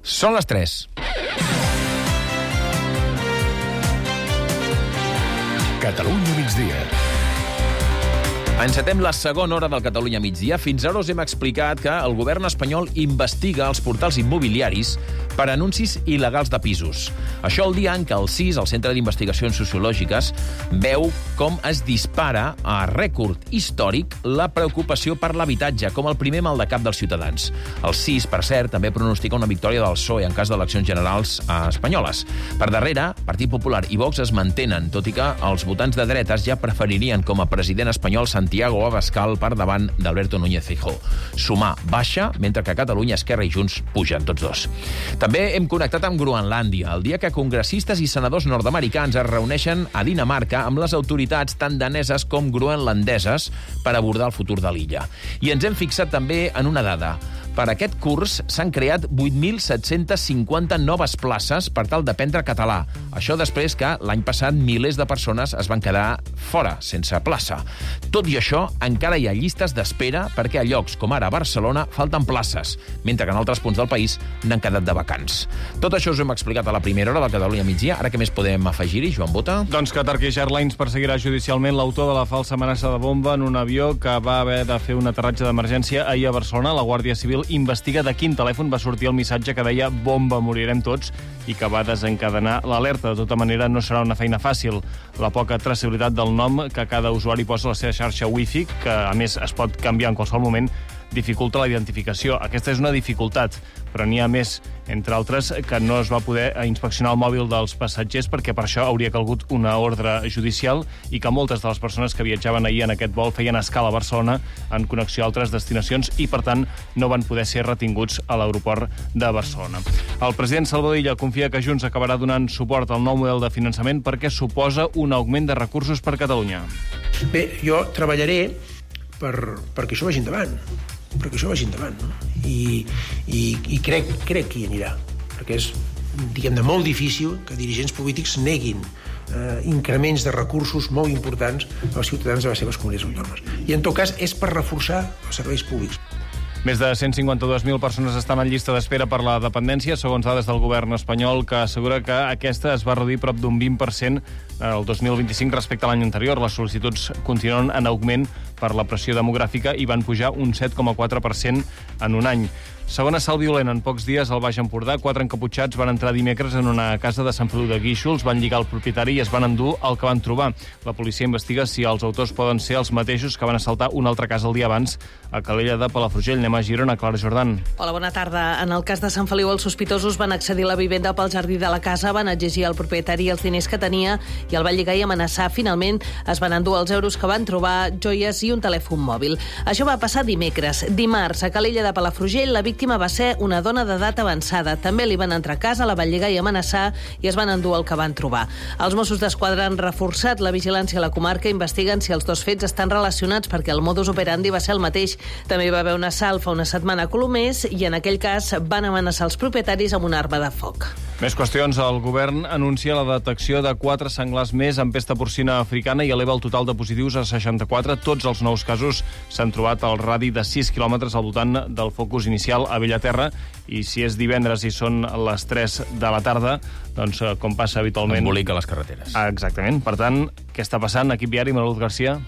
Són les 3. Catalunya migdia. Encetem la segona hora del Catalunya migdia. Fins ara us hem explicat que el govern espanyol investiga els portals immobiliaris per anuncis il·legals de pisos. Això el dia en què el CIS, el Centre d'Investigacions Sociològiques, veu com es dispara a rècord històric la preocupació per l'habitatge, com el primer mal de cap dels ciutadans. El CIS, per cert, també pronostica una victòria del PSOE en cas d'eleccions generals espanyoles. Per darrere, Partit Popular i Vox es mantenen, tot i que els votants de dretes ja preferirien com a president espanyol Santiago Abascal per davant d'Alberto Núñez Feijóo. Sumar baixa, mentre que a Catalunya, Esquerra i Junts pugen tots dos. També hem connectat amb Groenlàndia, el dia que congressistes i senadors nord-americans es reuneixen a Dinamarca amb les autoritats tant daneses com groenlandeses per abordar el futur de l'illa. I ens hem fixat també en una dada. Per aquest curs s'han creat 8.750 noves places per tal d'aprendre català. Això després que l'any passat milers de persones es van quedar fora, sense plaça. Tot i això, encara hi ha llistes d'espera perquè a llocs com ara a Barcelona falten places, mentre que en altres punts del país n'han quedat de vacants. Tot això us ho hem explicat a la primera hora del Catalunya migdia. Ara què més podem afegir-hi, Joan Bota? Doncs que Turkish Airlines perseguirà judicialment l'autor de la falsa amenaça de bomba en un avió que va haver de fer un aterratge d'emergència ahir a Barcelona. La Guàrdia Civil investiga de quin telèfon va sortir el missatge que deia «bomba, morirem tots» i que va desencadenar l'alerta. De tota manera, no serà una feina fàcil. La poca traçabilitat del nom que cada usuari posa a la seva xarxa Wi-Fi, que a més es pot canviar en qualsevol moment, dificulta la identificació. Aquesta és una dificultat, però n'hi ha més, entre altres, que no es va poder inspeccionar el mòbil dels passatgers perquè per això hauria calgut una ordre judicial i que moltes de les persones que viatjaven ahir en aquest vol feien escala a Barcelona en connexió a altres destinacions i, per tant, no van poder ser retinguts a l'aeroport de Barcelona. El president Salvador Illa confia que Junts acabarà donant suport al nou model de finançament perquè suposa un augment de recursos per Catalunya. Bé, jo treballaré perquè això vagi endavant, no? I crec que hi anirà, perquè és, diguem-ne, molt difícil que dirigents polítics neguin increments de recursos molt importants als ciutadans de les seves comunitats autònomes. I, en tot cas, és per reforçar els serveis públics. Més de 152.000 persones estan en llista d'espera per la dependència, segons dades del govern espanyol, que assegura que aquesta es va reduir prop d'un 20% el 2025 respecte a l'any anterior. Les sol·licituds continuen en augment per la pressió demogràfica i van pujar un 7,4% en un any. Segona assalt violent en pocs dies al Baix Empordà. 4 encaputxats van entrar dimecres en una casa de Sant Feliu de Guíxols, van lligar el propietari i es van endur el que van trobar. La policia investiga si els autors poden ser els mateixos que van assaltar una altra casa el dia abans a Calella de Palafrugell. Anem a Girona, Clara Jordan. Hola, bona tarda. En el cas de Sant Feliu, els sospitosos van accedir a la vivenda pel jardí de la casa, van exigir al propietari els diners que tenia i el van lligar i amenaçar. Finalment, es van endur els euros que van trobar, joies i un telèfon mòbil. Això va passar dimecres. Dimarts, a Calella de Palafrugell, la víctima va ser una dona d'edat avançada. També li van entrar a casa, la van lligar i amenaçar i es van endur el que van trobar. Els Mossos d'Esquadra han reforçat la vigilància a la comarca, investiguen si els dos fets estan relacionats perquè el modus operandi va ser el mateix. També hi va haver un assalt fa una setmana a Colomers i en aquell cas van amenaçar els propietaris amb una arma de foc. Més qüestions. El govern anuncia la detecció de 4 senglars més amb pesta porcina africana i eleva el total de positius a 64. Tots els nous casos s'han trobat al radi de 6 quilòmetres al voltant del focus inicial a Bellaterra i si és divendres i són les 3 de la tarda, doncs com passa habitualment... Embolica les carreteres. Exactament. Per tant, què està passant? Equip viari, Manuel Garcia.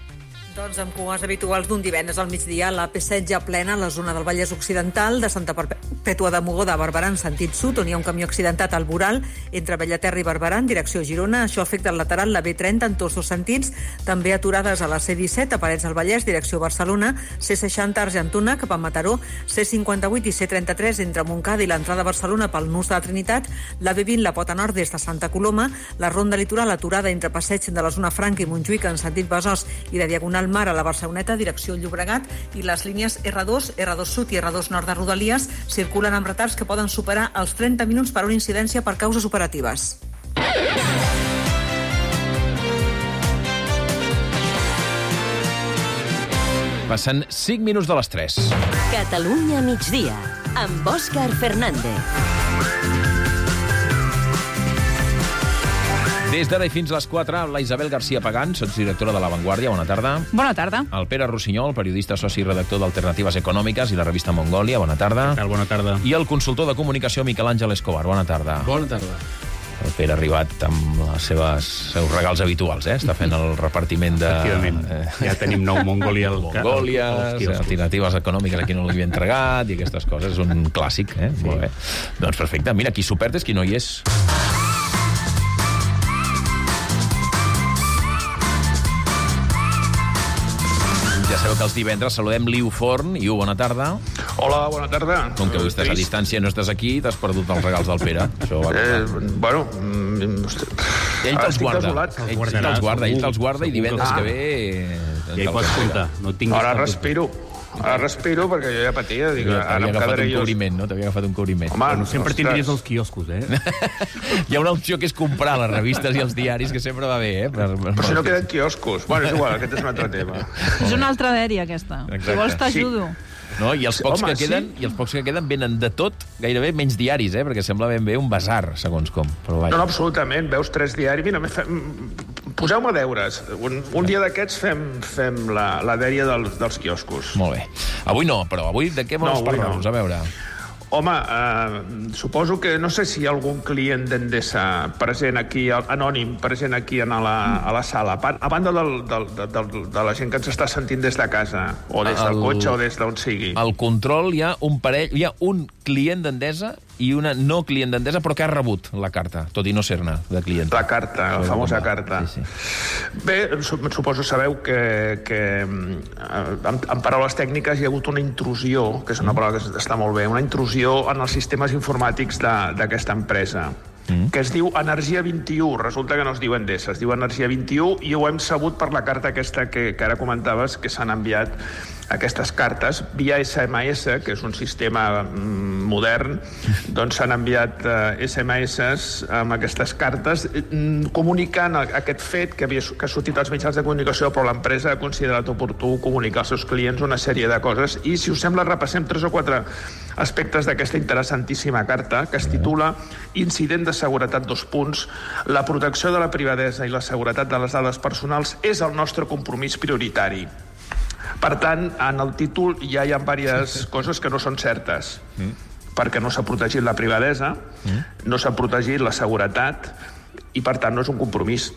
Doncs amb cues habituals d'un divendres al migdia, la P7 ja plena a la zona del Vallès Occidental, de Santa Perpètua de Mogoda a Barberà en sentit sud, on hi ha un camió accidentat al voral entre Bellaterra i Barberà en direcció Girona. Això afecta el lateral, la B30 en tots dos sentits. També aturades a la C17 a Parets del Vallès, direcció Barcelona, C60 Argentona cap a Mataró, C58 i C33 entre Montcada i l'entrada a Barcelona pel nus de la Trinitat, la B20 la Pota Nord des de Santa Coloma, la ronda litoral aturada entre Passeig de la zona Franca i Montjuïc en sentit Besòs i de Diagonal Mar a la Barceloneta, direcció Llobregat, i les línies R2, R2 Sud i R2 Nord de Rodalies circulen amb retards que poden superar els 30 minuts per una incidència per causes operatives. Passen 5 minuts de les 3. Catalunya migdia, amb Òscar Fernández. Des d'ara i fins a les 4, la Isabel García Pagán, sotsdirectora de La Vanguardia. Bona tarda. Bona tarda. El Pere Rossinyol, periodista, soci i redactor d'Alternatives Econòmiques i la revista Mongòlia. Bona tarda. Bona tarda. I el consultor de comunicació Miquel Àngel Escobar. Bona tarda. Bona tarda. El Pere ha arribat amb els seus regals habituals, Està fent el repartiment de... Efectivament. Ja tenim nou Mongòlia Mongòlies, alternatives econòmiques a qui no li havia entregat i aquestes coses. És un clàssic, Sí. Molt bé. Doncs perfecte. Mira, qui s'ho perd és qui no hi és. Ja sabeu que els divendres saludem Liu Forn. Iu, bona tarda. Hola, bona tarda. Com que avui estàs a distància i no estàs aquí, t'has perdut els regals del Pere. Això va Bueno... Ell te'ls guarda. Ell te'ls guarda i divendres que ve... Ja hi pots comptar. Ara respiro. Perquè jo ja patia. Ara em quedaré jo... T'havia agafat un cobriment. Home, sempre tindries els quioscos, Hi ha una opció que és comprar les revistes i els diaris, que sempre va bé, Però si no queden quioscos. Bueno, és igual, aquest és un altre tema. És una altra dèria, aquesta. Si vols t'ajudo. No, i els pocs que queden venen de tot, gairebé menys diaris, perquè sembla ben bé un basar, segons com. Però no, absolutament. Veus 3 diaris. Mira, poseu-me deures. Un dia d'aquests fem la dèria dels quioscos. Molt bé. Avui no, però avui de què vols parlar-nos? A veure... Home, suposo que no sé si hi ha algun client d'Endesa present aquí, anònim, present aquí a la sala, a banda de la gent que ens està sentint des de casa, o des del cotxe, o des d'on sigui. Al control hi ha un client d'Endesa i una no client d'Endesa, però que ha rebut la carta, tot i no ser-ne de client. La carta, la famosa carta. Sí. Bé, suposo sabeu que en paraules tècniques hi ha hagut una intrusió, que és una paraula que està molt bé, una intrusió en els sistemes informàtics d'aquesta empresa, que es diu Energia 21. Resulta que no es diu Endesa, es diu Energia 21, i ho hem sabut per la carta aquesta que ara comentaves, que s'han enviat aquestes cartes via SMS, que és un sistema modern. Doncs s'han enviat SMS amb aquestes cartes comunicant aquest fet que ha sortit als mitjans de comunicació, però l'empresa ha considerat oportú comunicar als seus clients una sèrie de coses. I, si us sembla, repassem 3 o 4 aspectes d'aquesta interessantíssima carta, que es titula Incident de seguretat : la protecció de la privadesa i la seguretat de les dades personals és el nostre compromís prioritari. Per tant, en el títol ja hi ha diverses coses que no són certes, perquè no s'ha protegit la privadesa, no s'ha protegit la seguretat, i per tant no és un compromís.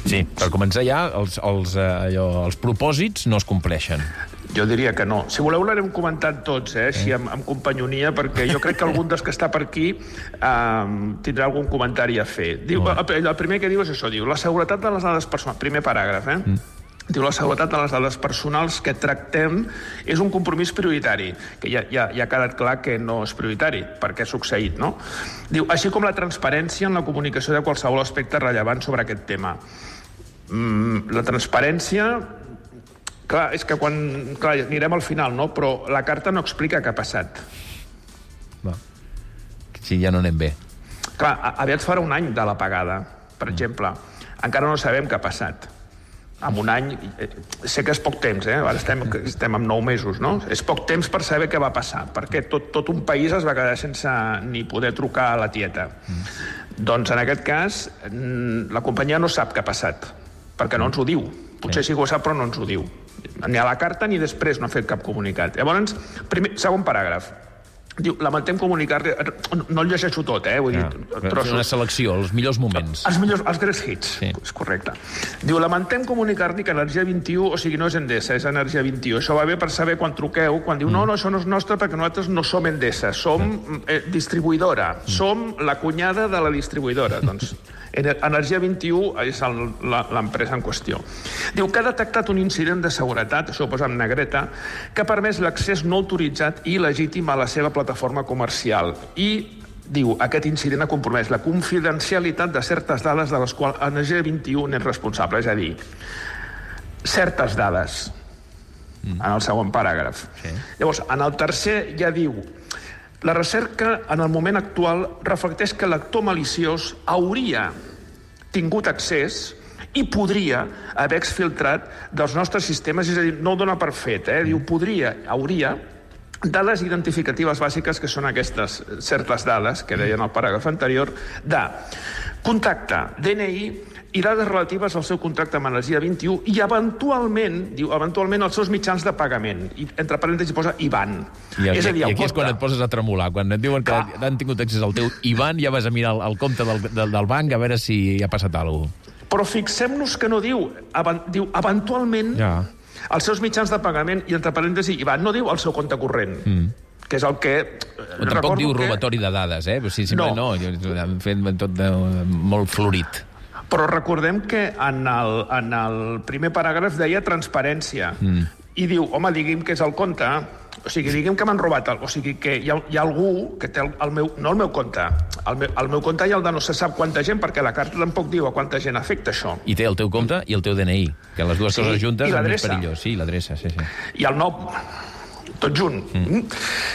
Sí, per començar ja, els propòsits no es compleixen. Jo diria que no. Si voleu l'haurem comentat tots, així amb companyonia, perquè jo crec que algun dels que està per aquí tindrà algun comentari a fer. El primer que diu és això, diu la seguretat de les dades personals, primer paràgraf, Diu, la seguretat de les dades personals que tractem és un compromís prioritari, que ja ha quedat clar que no és prioritari, perquè ha succeït, no? Diu, així com la transparència en la comunicació de qualsevol aspecte rellevant sobre aquest tema. La transparència... Clar, és que quan... Clar, anirem al final, no? Però la carta no explica què ha passat. Sí, ja no anem bé. Clar, aviat farà un any de l'apagada, per exemple. Encara no sabem què ha passat. En un any, sé que és poc temps, ara estem en 9 mesos, no? És poc temps per saber què va passar, perquè tot un país es va quedar sense ni poder trucar a la tieta. Doncs en aquest cas, la companyia no sap què ha passat, perquè no ens ho diu. Potser sí que ho sap, però no ens ho diu. Ni a la carta ni després no ha fet cap comunicat. Llavors, segon paràgraf. Diu, lamentem comunicar... No el llegeixo tot, vull dir... Una selecció, els millors moments. Els greatest hits, és correcte. Diu, lamentem comunicar-li que Energia 21, o sigui, no és Endesa, és Energia 21. Això va bé per saber quan truqueu, quan diu, no, això no és nostre perquè nosaltres no som Endesa, som distribuïdora, som la cunyada de la distribuïdora. Doncs Energia 21 és l'empresa en qüestió. Diu que ha detectat un incident de seguretat, això ho posa en negreta, que ha permès l'accés no autoritzat i il·legítim a la seva plataforma comercial. I, diu, aquest incident ha compromès la confidencialitat de certes dades de les quals Energia 21 n'és responsable. És a dir, certes dades, en el segon paràgraf. Llavors, en el tercer ja diu... La recerca, en el moment actual, reflecteix que l'actor maliciós hauria tingut accés i podria haver exfiltrat dels nostres sistemes, és a dir, no ho dona per fet, diu podria, hauria, dades identificatives bàsiques, que són aquestes certes dades, que deien al paràgraf anterior, de Contacte, DNI i dades relatives al seu contracte amb Energia 21 i eventualment els seus mitjans de pagament. I, entre parèntesis posa IBAN. I aquí és quan et poses a tremolar. Quan et diuen que han tingut accés al teu IBAN, ja vas a mirar el compte del banc a veure si ha passat alguna cosa. Però fixem-nos que no diu eventualment els seus mitjans de pagament i, entre parèntesis, IBAN, no diu el seu compte corrent. Que és el que... Tampoc diu robatori de dades, no. Han fet tot molt florit. Però recordem que en el primer paràgraf deia transparència. I diu, home, digui'm que és el compte, o sigui, digui'm que m'han robat, o sigui, que hi ha algú que té no el meu compte, el meu compte hi ha el de no se sap quanta gent, perquè la carta tampoc diu a quanta gent afecta això. I té el teu compte i el teu DNI, que les dues coses juntes és més perillós. Sí, l'adreça, sí. I el nom, tot junt.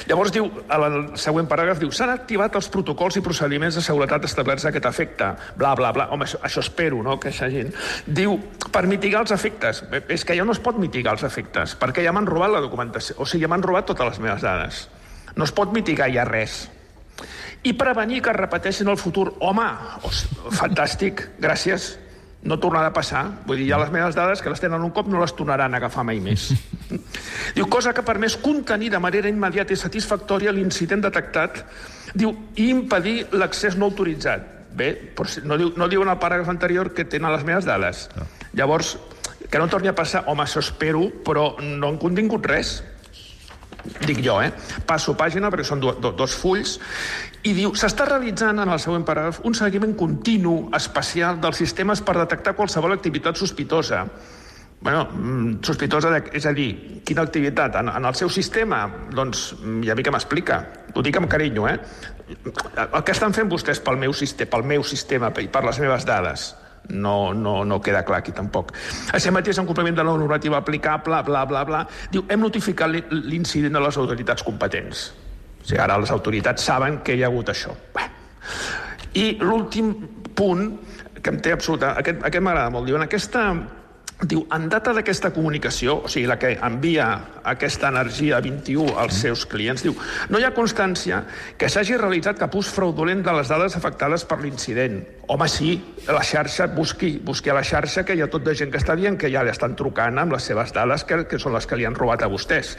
Llavors diu, el següent paràgraf diu, s'han activat els protocols i procediments de seguretat establerts a aquest efecte, bla, bla, bla. Home, això espero, no?, que s'hagin. Diu, per mitigar els efectes. És que ja no es pot mitigar els efectes, perquè ja m'han robat la documentació. O sigui, ja m'han robat totes les meves dades. No es pot mitigar ja res. I prevenir que es repeteixin el futur. Home, fantàstic, gràcies. No tornarà a passar. Vull dir, ja les meves dades, que les tenen un cop, no les tornaran a agafar mai més. Diu, cosa que ha permès contenir de manera immediata i satisfactòria l'incident detectat, diu, i impedir l'accés no autoritzat. Bé, no diu en el paràgraf anterior que tenen les meves dades. Llavors, que no torni a passar, home, això espero, però no han contingut res. Dic jo, Passo pàgina, perquè són dos fulls, i diu, s'està realitzant en el següent paràgraf un seguiment continu, especial, dels sistemes per detectar qualsevol activitat sospitosa. Bueno, sospitosa, és a dir, quina activitat? En el seu sistema? Doncs ja mi que m'explica. Ho dic amb carinyo, El que estan fent vostès pel meu sistema i per les meves dades no queda clar aquí tampoc. Així mateix, en compliment de la normativa aplicable, bla, bla, bla, diu, hem notificat l'incident a les autoritats competents. O sigui, ara les autoritats saben que hi ha hagut això. I l'últim punt, que em té absoluta... Aquest m'agrada molt. Diu, en data d'aquesta comunicació, o sigui, la que envia aquesta Energia 21 als seus clients, diu, no hi ha constància que s'hagi realitzat cap ús fraudulent de les dades afectades per l'incident. Home, sí, la xarxa, busqui a la xarxa, que hi ha tot de gent que està dient que ja li estan trucant amb les seves dades, que són les que li han robat a vostès.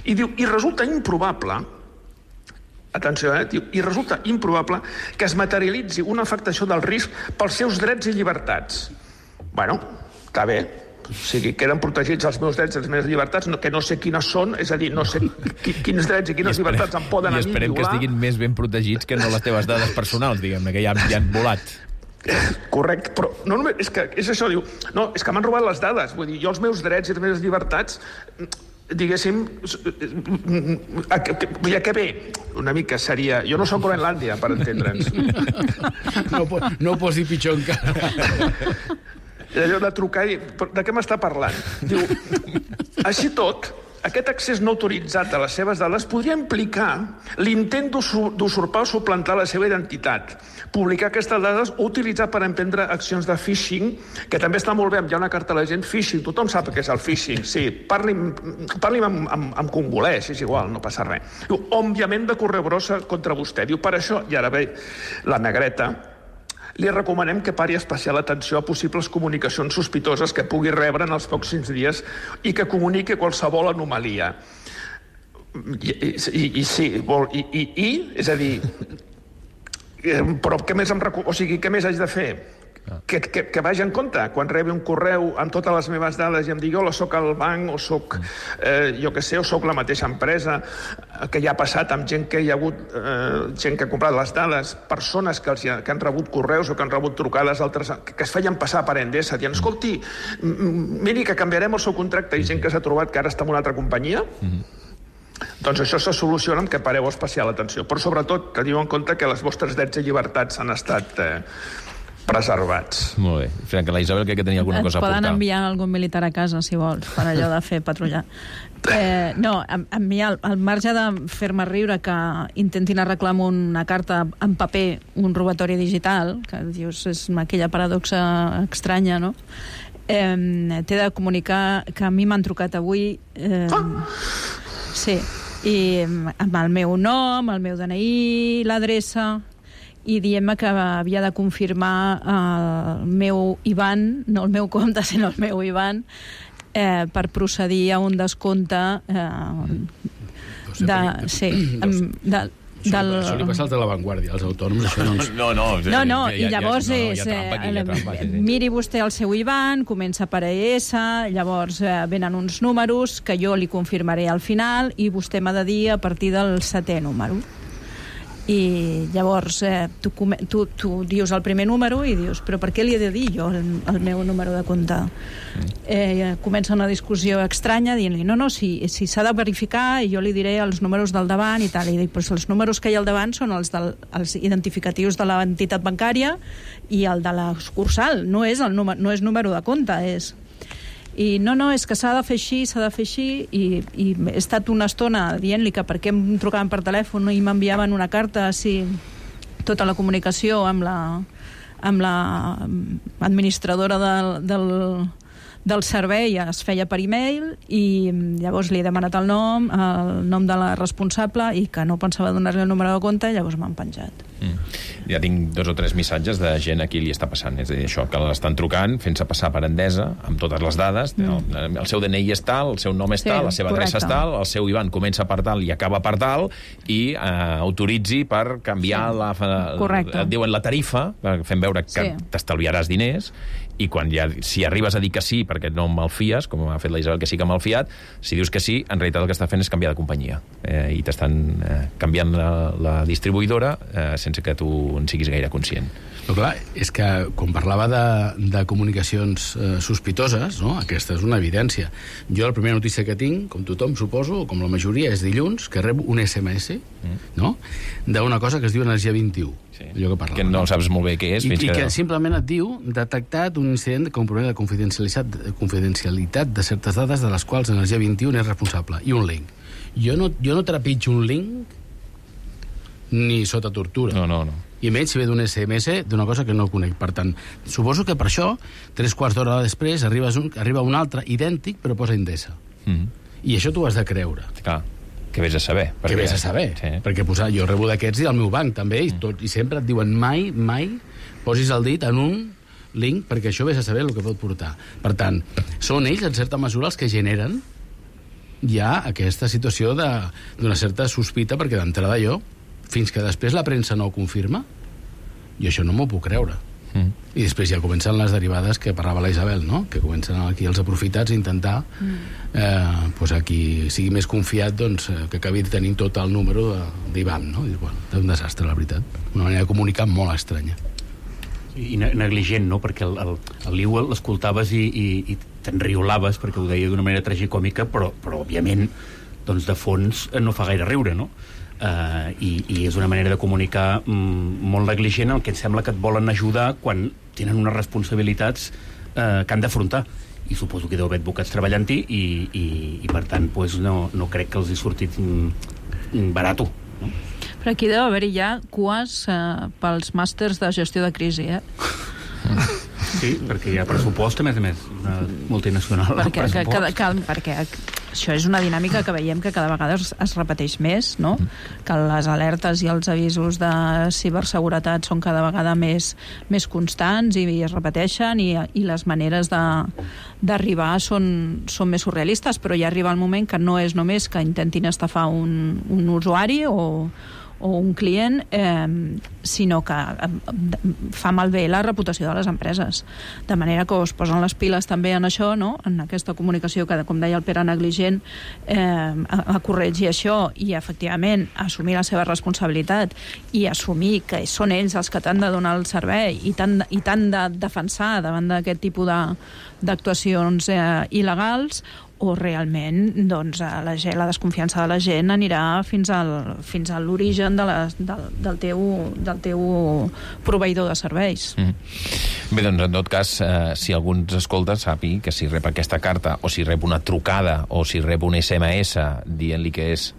I diu, i resulta improbable, atenció, diu, i resulta improbable que es materialitzi una afectació del risc pels seus drets i llibertats. Bueno, està bé, o sigui, queden protegits els meus drets i les meves llibertats, que no sé quines són, és a dir, no sé quins drets i quines llibertats em poden a mi violar. I esperem que estiguin més ben protegits que no les teves dades personals, diguem-ne, que ja han volat. Correcte, però no només, és això, diu, no, és que m'han robat les dades, vull dir, jo els meus drets i les meves llibertats, diguéssim, ja que bé, una mica seria... Jo no soc Groenlàndia, per entendre'ns. No ho posi pitjor encara. Allò de trucar i... De què m'està parlant? Diu, així tot, aquest accés no autoritzat a les seves dades podria implicar l'intent d'usurpar o suplantar la seva identitat, publicar aquestes dades o utilitzar per emprendre accions de phishing, que també està molt bé, hi ha una carta a la gent, phishing, tothom sap què és el phishing, sí, parli'm en congolès, és igual, no passa res. Diu, òbviament de correu brossa contra vostè. Diu, per això, i ara ve la negreta, li recomanem que pari especial atenció a possibles comunicacions sospitoses que pugui rebre en els pròxims dies i que comuniqui qualsevol anomalia. És a dir, però què més què més haig de fer? Que vagi en compte quan rebi un correu amb totes les meves dades i em digui, hola, soc al banc, o soc, jo què sé, o soc la mateixa empresa, que ja ha passat amb gent que hi ha hagut, gent que ha comprat les dades, persones que han rebut correus o que han rebut trucades, altres que es feien passar per Endesa, dient, escolti, miri que canviarem el seu contracte, i gent que s'ha trobat que ara està en una altra companyia. Doncs això se soluciona amb que pareu especial atenció, però sobretot teniu en compte que els vostres drets i llibertats han estat preservats. Molt bé. Frank, la Isabel crec que tenia alguna cosa a aportar. Et poden enviar algun militar a casa, si vols, per allò de fer patrullar. No, a mi, al marge de fer-me riure que intentin arreglar amb una carta en paper un robatori digital, que dius, és aquella paradoxa estranya, no? T'he de comunicar que a mi m'han trucat avui... Sí, i amb el meu nom, el meu DNI, l'adreça... i dient-me que havia de confirmar el meu IBAN, no el meu compte, sinó el meu IBAN, per procedir a un descompte Això li passa als de l'avantguàrdia, als autònoms, això no... No, i llavors miri vostè el seu IBAN, comença per ES, llavors venen uns números que jo li confirmaré al final i vostè m'ha de dir a partir del 7è número. I llavors tu dius el primer número i dius, però per què li he de dir jo el meu número de compte? Comença una discussió estranya dient-li, no, si s'ha de verificar i jo li diré els números del davant i tal, i dic, però els números que hi ha al davant són els identificatius de l'entitat bancària i el de la sucursal, no és número de compte, és... I no, és que s'ha de fer així, i he estat una estona dient-li que per què em trucaven per telèfon i m'enviaven una carta si tota la comunicació amb la administradora del servei es feia per e-mail, i llavors li he demanat el nom de la responsable, i que no pensava donar-li el número de compte, i llavors m'han penjat. Ja tinc 2 o 3 missatges de gent a qui li està passant, és a dir, això, que l'estan trucant, fent-se passar per Endesa, amb totes les dades, el seu DNI és tal, el seu nom és tal, la seva adreça és tal, el seu IBAN comença per tal i acaba per tal, i autoritzi per canviar diuen la tarifa, fent veure que t'estalviaràs diners, i quan si arribes a dir que sí perquè no em malfies, com ha fet la Isabel que sí que m'ha malfiat, si dius que sí, en realitat el que està fent és canviar de companyia, i t'estan canviant la distribuïdora sense que tu en siguis gaire conscient. Però clar, és que quan parlava de comunicacions sospitoses, no? Aquesta és una evidència. Jo la primera notícia que tinc, com tothom suposo, o com la majoria, és dilluns, que rebo un SMS, no?, d'una cosa que es diu Energia 21. Allò que no saps molt bé què és. I que simplement et diu detectat un incident de compromès de confidencialitat de certes dades de les quals Energia 21 és responsable. I un link. Jo no trepitjo un link ni sota tortura. No. I menys si ve d'un SMS d'una cosa que no conec. Per tant, suposo que per això, 3/4 d'hora després, arriba un altre idèntic, però posa Endesa. I això t'ho has de creure. Clar, que vés a saber. Que vés a saber. Sí. Perquè jo rebo d'aquests i del meu banc, també, i sempre et diuen mai posis el dit en un link, perquè això vés a saber el que pot portar. Per tant, són ells, en certa mesura, els que generen ja aquesta situació d'una certa sospita, perquè d'entrada fins que després la premsa no ho confirma, jo això no m'ho puc creure. I després ja comencen les derivades que parlava la Isabel, no? Que comencen aquí els aprofitats a intentar a qui sigui més confiat, doncs, que acabi tenint tot el número d'IBAN, no? I, bueno, és un desastre, la veritat. Una manera de comunicar molt estranya. I negligent, no? Perquè el Liu l'escoltaves i t'enriolaves, perquè ho deia d'una manera tragicòmica, però òbviament, doncs, de fons no fa gaire riure, no? I és una manera de comunicar molt negligent, el que em sembla que et volen ajudar quan tenen unes responsabilitats que han d'afrontar, i suposo que deu haver advocats treballant-hi i per tant no crec que els hi sortit barato, no? Però aquí deu haver-hi ja cues pels màsters de gestió de crisi, Sí, perquè hi ha pressupost, a més, una multinacional. Perquè això és una dinàmica que veiem que cada vegada es repeteix més, no? Que les alertes i els avisos de ciberseguretat són cada vegada més constants i es repeteixen, i les maneres d'arribar són més surrealistes, però ja arriba el moment que no és només que intentin estafar un usuari o un client, sinó que fa malbé la reputació de les empreses. De manera que es posen les piles també en això, no? En aquesta comunicació que, com deia el Pere, negligent, a corregir això i, efectivament, assumir la seva responsabilitat i assumir que són ells els que t'han de donar el servei i t'han de defensar davant d'aquest tipus d'actuacions il·legals, o realment doncs, la desconfiança de la gent anirà fins a l'origen del teu proveïdor de serveis. Bé, doncs, en tot cas, si algú ens escolta, sàpiga que si rep aquesta carta, o si rep una trucada, o si rep un SMS dient-li que és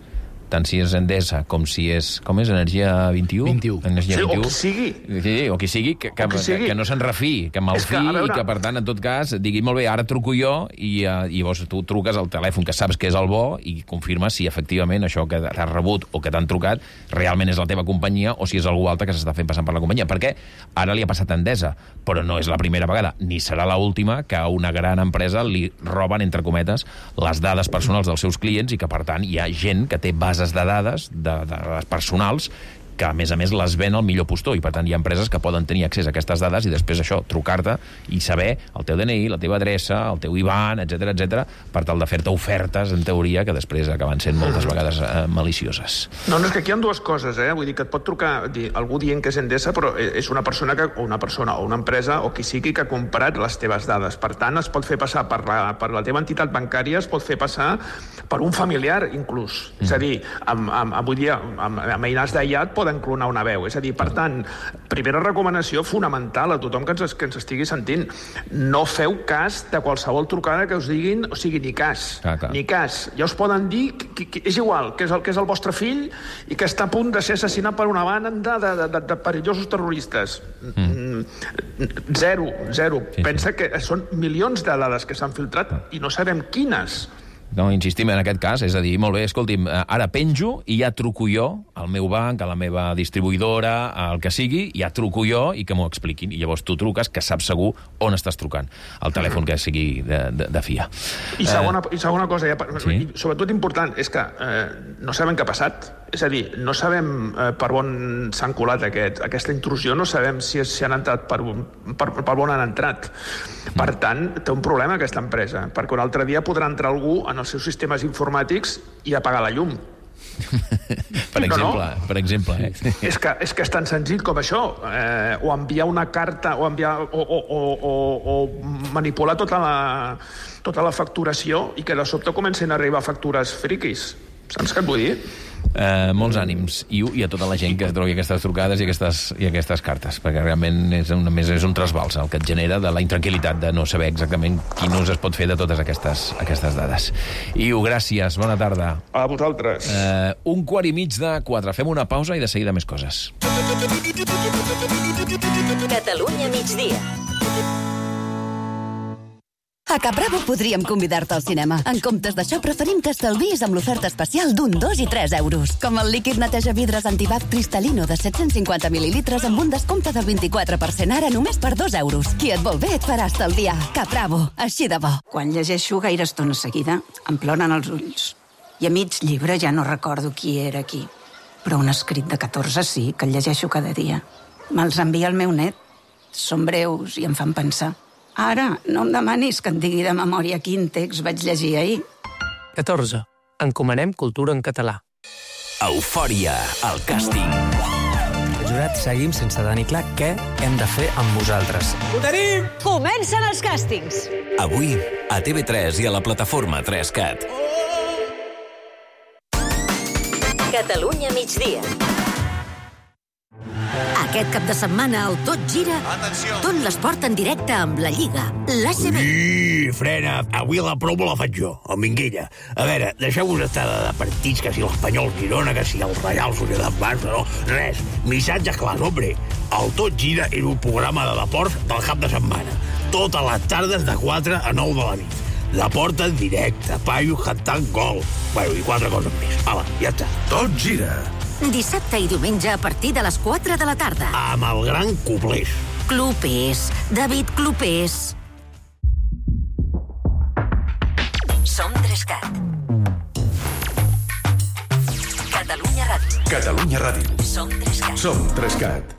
tant si és Endesa com si és... Com és? Energia 21? 21. Energia 21. O qui sigui. Sí, o qui sigui, que no se'n refiï, que malfiï i que, per tant, en tot cas, digui, molt bé, ara truco jo i llavors tu truques al telèfon que saps que és el bo i confirmes si efectivament això que t'has rebut o que t'han trucat realment és la teva companyia o si és algú altre que s'està fent passant per la companyia. Perquè ara li ha passat a Endesa, però no és la primera vegada, ni serà l'última que a una gran empresa li roben, entre cometes, les dades personals dels seus clients i que, per tant, hi ha gent que té bases de dades personals que, a més, les ven al millor postor, i, per tant, hi ha empreses que poden tenir accés a aquestes dades i després això, trucar-te i saber el teu DNI, la teva adreça, el teu IBAN, etc per tal de fer-te ofertes, en teoria, que després acaben sent moltes vegades malicioses. No, és que aquí hi ha dues coses, Vull dir que et pot trucar algú dient que és Endesa, però és una persona o una empresa o qui sigui que ha comprat les teves dades. Per tant, es pot fer passar per la teva entitat bancària, es pot fer passar per un familiar, inclús. És a dir, avui dia, amb eines d'IAT poden clonar una veu. És a dir, per tant, primera recomanació fonamental a tothom que ens estigui sentint. No feu cas de qualsevol trucada que us diguin, o sigui, ni cas. Ni cas. Ja us poden dir, és igual, que és el vostre fill i que està a punt de ser assassinat per una banda de perillosos terroristes. Zero. Pensa que són milions de dades que s'han filtrat i no sabem quines. No, insistim en aquest cas, és a dir, molt bé, escolti'm, ara penjo i ja truco jo al meu banc, a la meva distribuïdora, al que sigui, ja truco jo i que m'ho expliquin. I llavors tu truques, que saps segur on estàs trucant, el telèfon que sigui de fiar. I segona cosa, sobretot important, és que no sabem què ha passat. És a dir, no sabem per on s'han colat aquesta intrusió, no sabem si han entrat per on han entrat. Per tant, té un problema aquesta empresa, perquè un altre dia podrà entrar algú en els seus sistemes informàtics i apagar la llum. Per exemple. És que és tan senzill com això. O enviar una carta, o manipular tota la facturació i que de sobte comencen a arribar factures friquis. Saps què et vull dir? Molts ànims i a tota la gent que trobi aquestes trucades i aquestes cartes, perquè realment és un trasbals el que et genera de la intranquil·litat de no saber exactament quin ús es pot fer de totes aquestes dades. Iu, gràcies, bona tarda. A vosaltres. 3:45. Fem una pausa i de seguida més coses. Catalunya migdia. A Capravo podríem convidar-te al cinema. En comptes d'això, preferim que estalviïs amb l'oferta especial d'1, 2 i 3 euros. Com el líquid neteja vidres Antibac Cristal·lino de 750 mil·lilitres amb un descompte del 24%, ara només per 2 euros. Qui et vol bé et farà estalviar. Capravo, així de bo. Quan llegeixo gaire estona seguida, em ploren els ulls. I a mig llibre ja no recordo qui era qui. Però un escrit de 14 sí, que el llegeixo cada dia. Me'ls envia el meu net. Són breus i em fan pensar. Ara, no em demanis que em digui de memòria quin text vaig llegir ahir. 14. Encomanem cultura en català. Eufòria, el càsting. Jurat, seguim sense tenir clar què hem de fer amb vosaltres. Ho tenim! Comencen els càstings. Avui, a TV3 i a la plataforma 3CAT. Catalunya migdia. Aquest cap de setmana el Tot Gira, tot l'esport en directe amb la Lliga, l'ACB. Frena, avui la promo la faig jo, el Minguella. A veure, deixeu-vos estar de partits, que si l'Espanyol Girona, que si el Reial Societat Barça, no, res. Missatges clars, hombre. El Tot Gira és un programa de deports del cap de setmana. Totes les tardes de 4 a 9 de la nit. Deport en directe, paios cantant gol. Bueno, i 4 coses més. Hala, ja està. Tot Gira. Dissabte i diumenge a partir de les 4 de la tarda. Amb el gran Clopés. Clopés, David Clopés. Som 3CAT. Catalunya Ràdio. Catalunya Ràdio. Som 3CAT. Som 3CAT.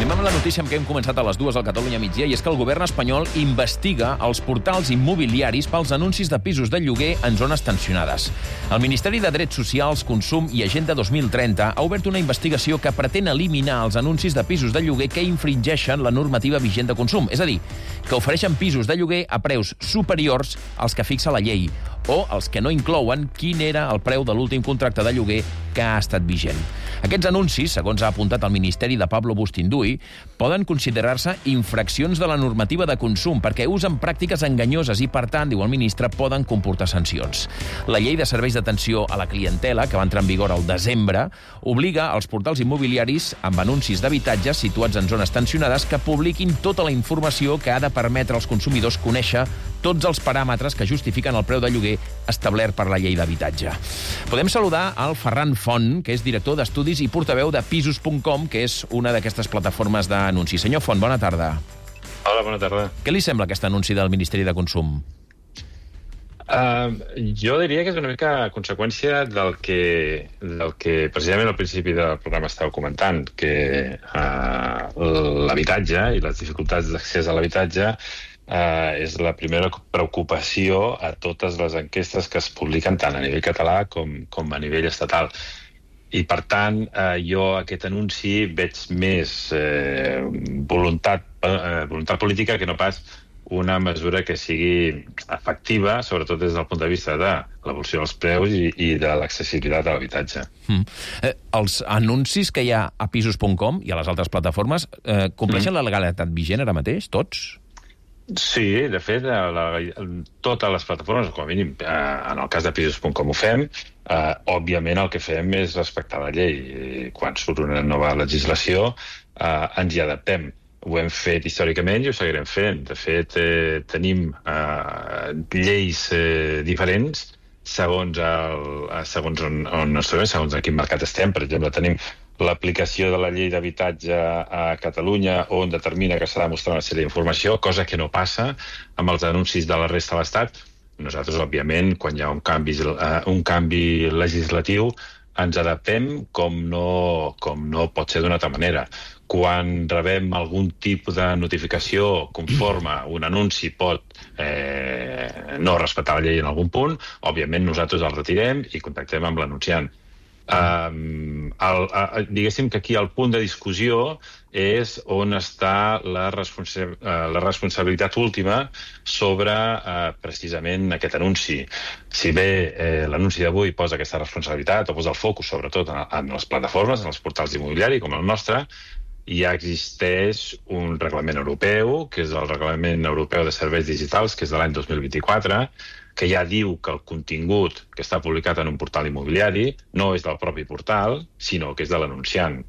Anem amb la notícia amb què hem començat a les 2 al Catalunya migdia, i és que el govern espanyol investiga els portals immobiliaris pels anuncis de pisos de lloguer en zones tensionades. El Ministeri de Drets Socials, Consum i Agenda 2030 ha obert una investigació que pretén eliminar els anuncis de pisos de lloguer que infringeixen la normativa vigent de consum, és a dir, que ofereixen pisos de lloguer a preus superiors als que fixa la llei, o els que no inclouen quin era el preu de l'últim contracte de lloguer que ha estat vigent. Aquests anuncis, segons ha apuntat el Ministeri de Pablo Bustinduy, poden considerar-se infraccions de la normativa de consum perquè usen pràctiques enganyoses i, per tant, diu el ministre, poden comportar sancions. La llei de serveis d'atenció a la clientela, que va entrar en vigor al desembre, obliga als portals immobiliaris amb anuncis d'habitatges situats en zones tensionades que publiquin tota la informació que ha de permetre als consumidors conèixer tots els paràmetres que justifiquen el preu de lloguer establert per la llei d'habitatge. Podem saludar al Ferran Font, que és director d'estudis i portaveu de Pisos.com, que és una d'aquestes plataformes d'anuncis. Senyor Font, bona tarda. Hola, bona tarda. Què li sembla aquest anunci del Ministeri de Consum? Jo diria que és una mica conseqüència del que precisament al principi del programa estàveu comentant, que l'habitatge i les dificultats d'accés a l'habitatge és la primera preocupació a totes les enquestes que es publiquen tant a nivell català com a nivell estatal. I, per tant, jo aquest anunci veig més voluntat política que no pas una mesura que sigui efectiva, sobretot des del punt de vista de l'evolució dels preus i de l'accessibilitat a l'habitatge. Els anuncis que hi ha a Pisos.com i a les altres plataformes compleixen la legalitat vigent ara mateix, tots? Sí, de fet, totes les plataformes, com a mínim, en el cas de Pisos.com ho fem, òbviament el que fem és respectar la llei. Quan surt una nova legislació, ens hi adaptem. Ho hem fet històricament i ho seguirem fent. De fet, tenim lleis diferents segons on ens trobem, segons en quin mercat estem. Per exemple, tenim l'aplicació de la llei d'habitatge a Catalunya, on determina que s'ha de mostrar una sèrie d'informació, cosa que no passa amb els anuncis de la resta de l'Estat. Nosaltres, òbviament, quan hi ha un canvi legislatiu, ens adaptem com no pot ser d'una altra manera. Quan rebem algun tipus de notificació conforme un anunci pot no respectar la llei en algun punt, òbviament nosaltres el retirem i contactem amb l'anunciant. Diguéssim que aquí el punt de discussió és on està la responsabilitat última sobre precisament aquest anunci. Si bé l'anunci d'avui posa aquesta responsabilitat o posa el focus sobretot en les plataformes, en els portals immobiliaris com el nostre, ja existeix un reglament europeu, que és el Reglament Europeu de Serveis Digitals, que és de l'any 2024, que ja diu que el contingut que està publicat en un portal immobiliari no és del propi portal, sinó que és de l'anunciant.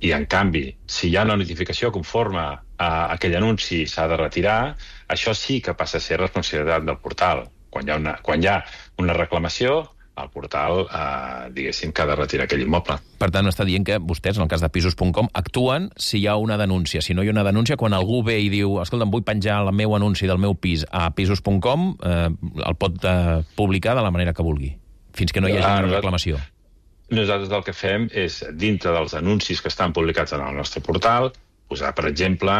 I, en canvi, si hi ha una notificació conforme a aquell anunci s'ha de retirar, això sí que passa a ser responsabilitat del portal. Quan hi ha una reclamació, el portal, diguéssim, que ha de retirar aquell immoble. Per tant, està dient que vostès, en el cas de Pisos.com, actuen si hi ha una denúncia. Si no hi ha una denúncia, quan algú ve i diu escolta'm, vull penjar el meu anunci del meu pis a Pisos.com, el pot publicar de la manera que vulgui, fins que no hi hagi una reclamació. Nosaltres el que fem és, dintre dels anuncis que estan publicats en el nostre portal, posar, per exemple,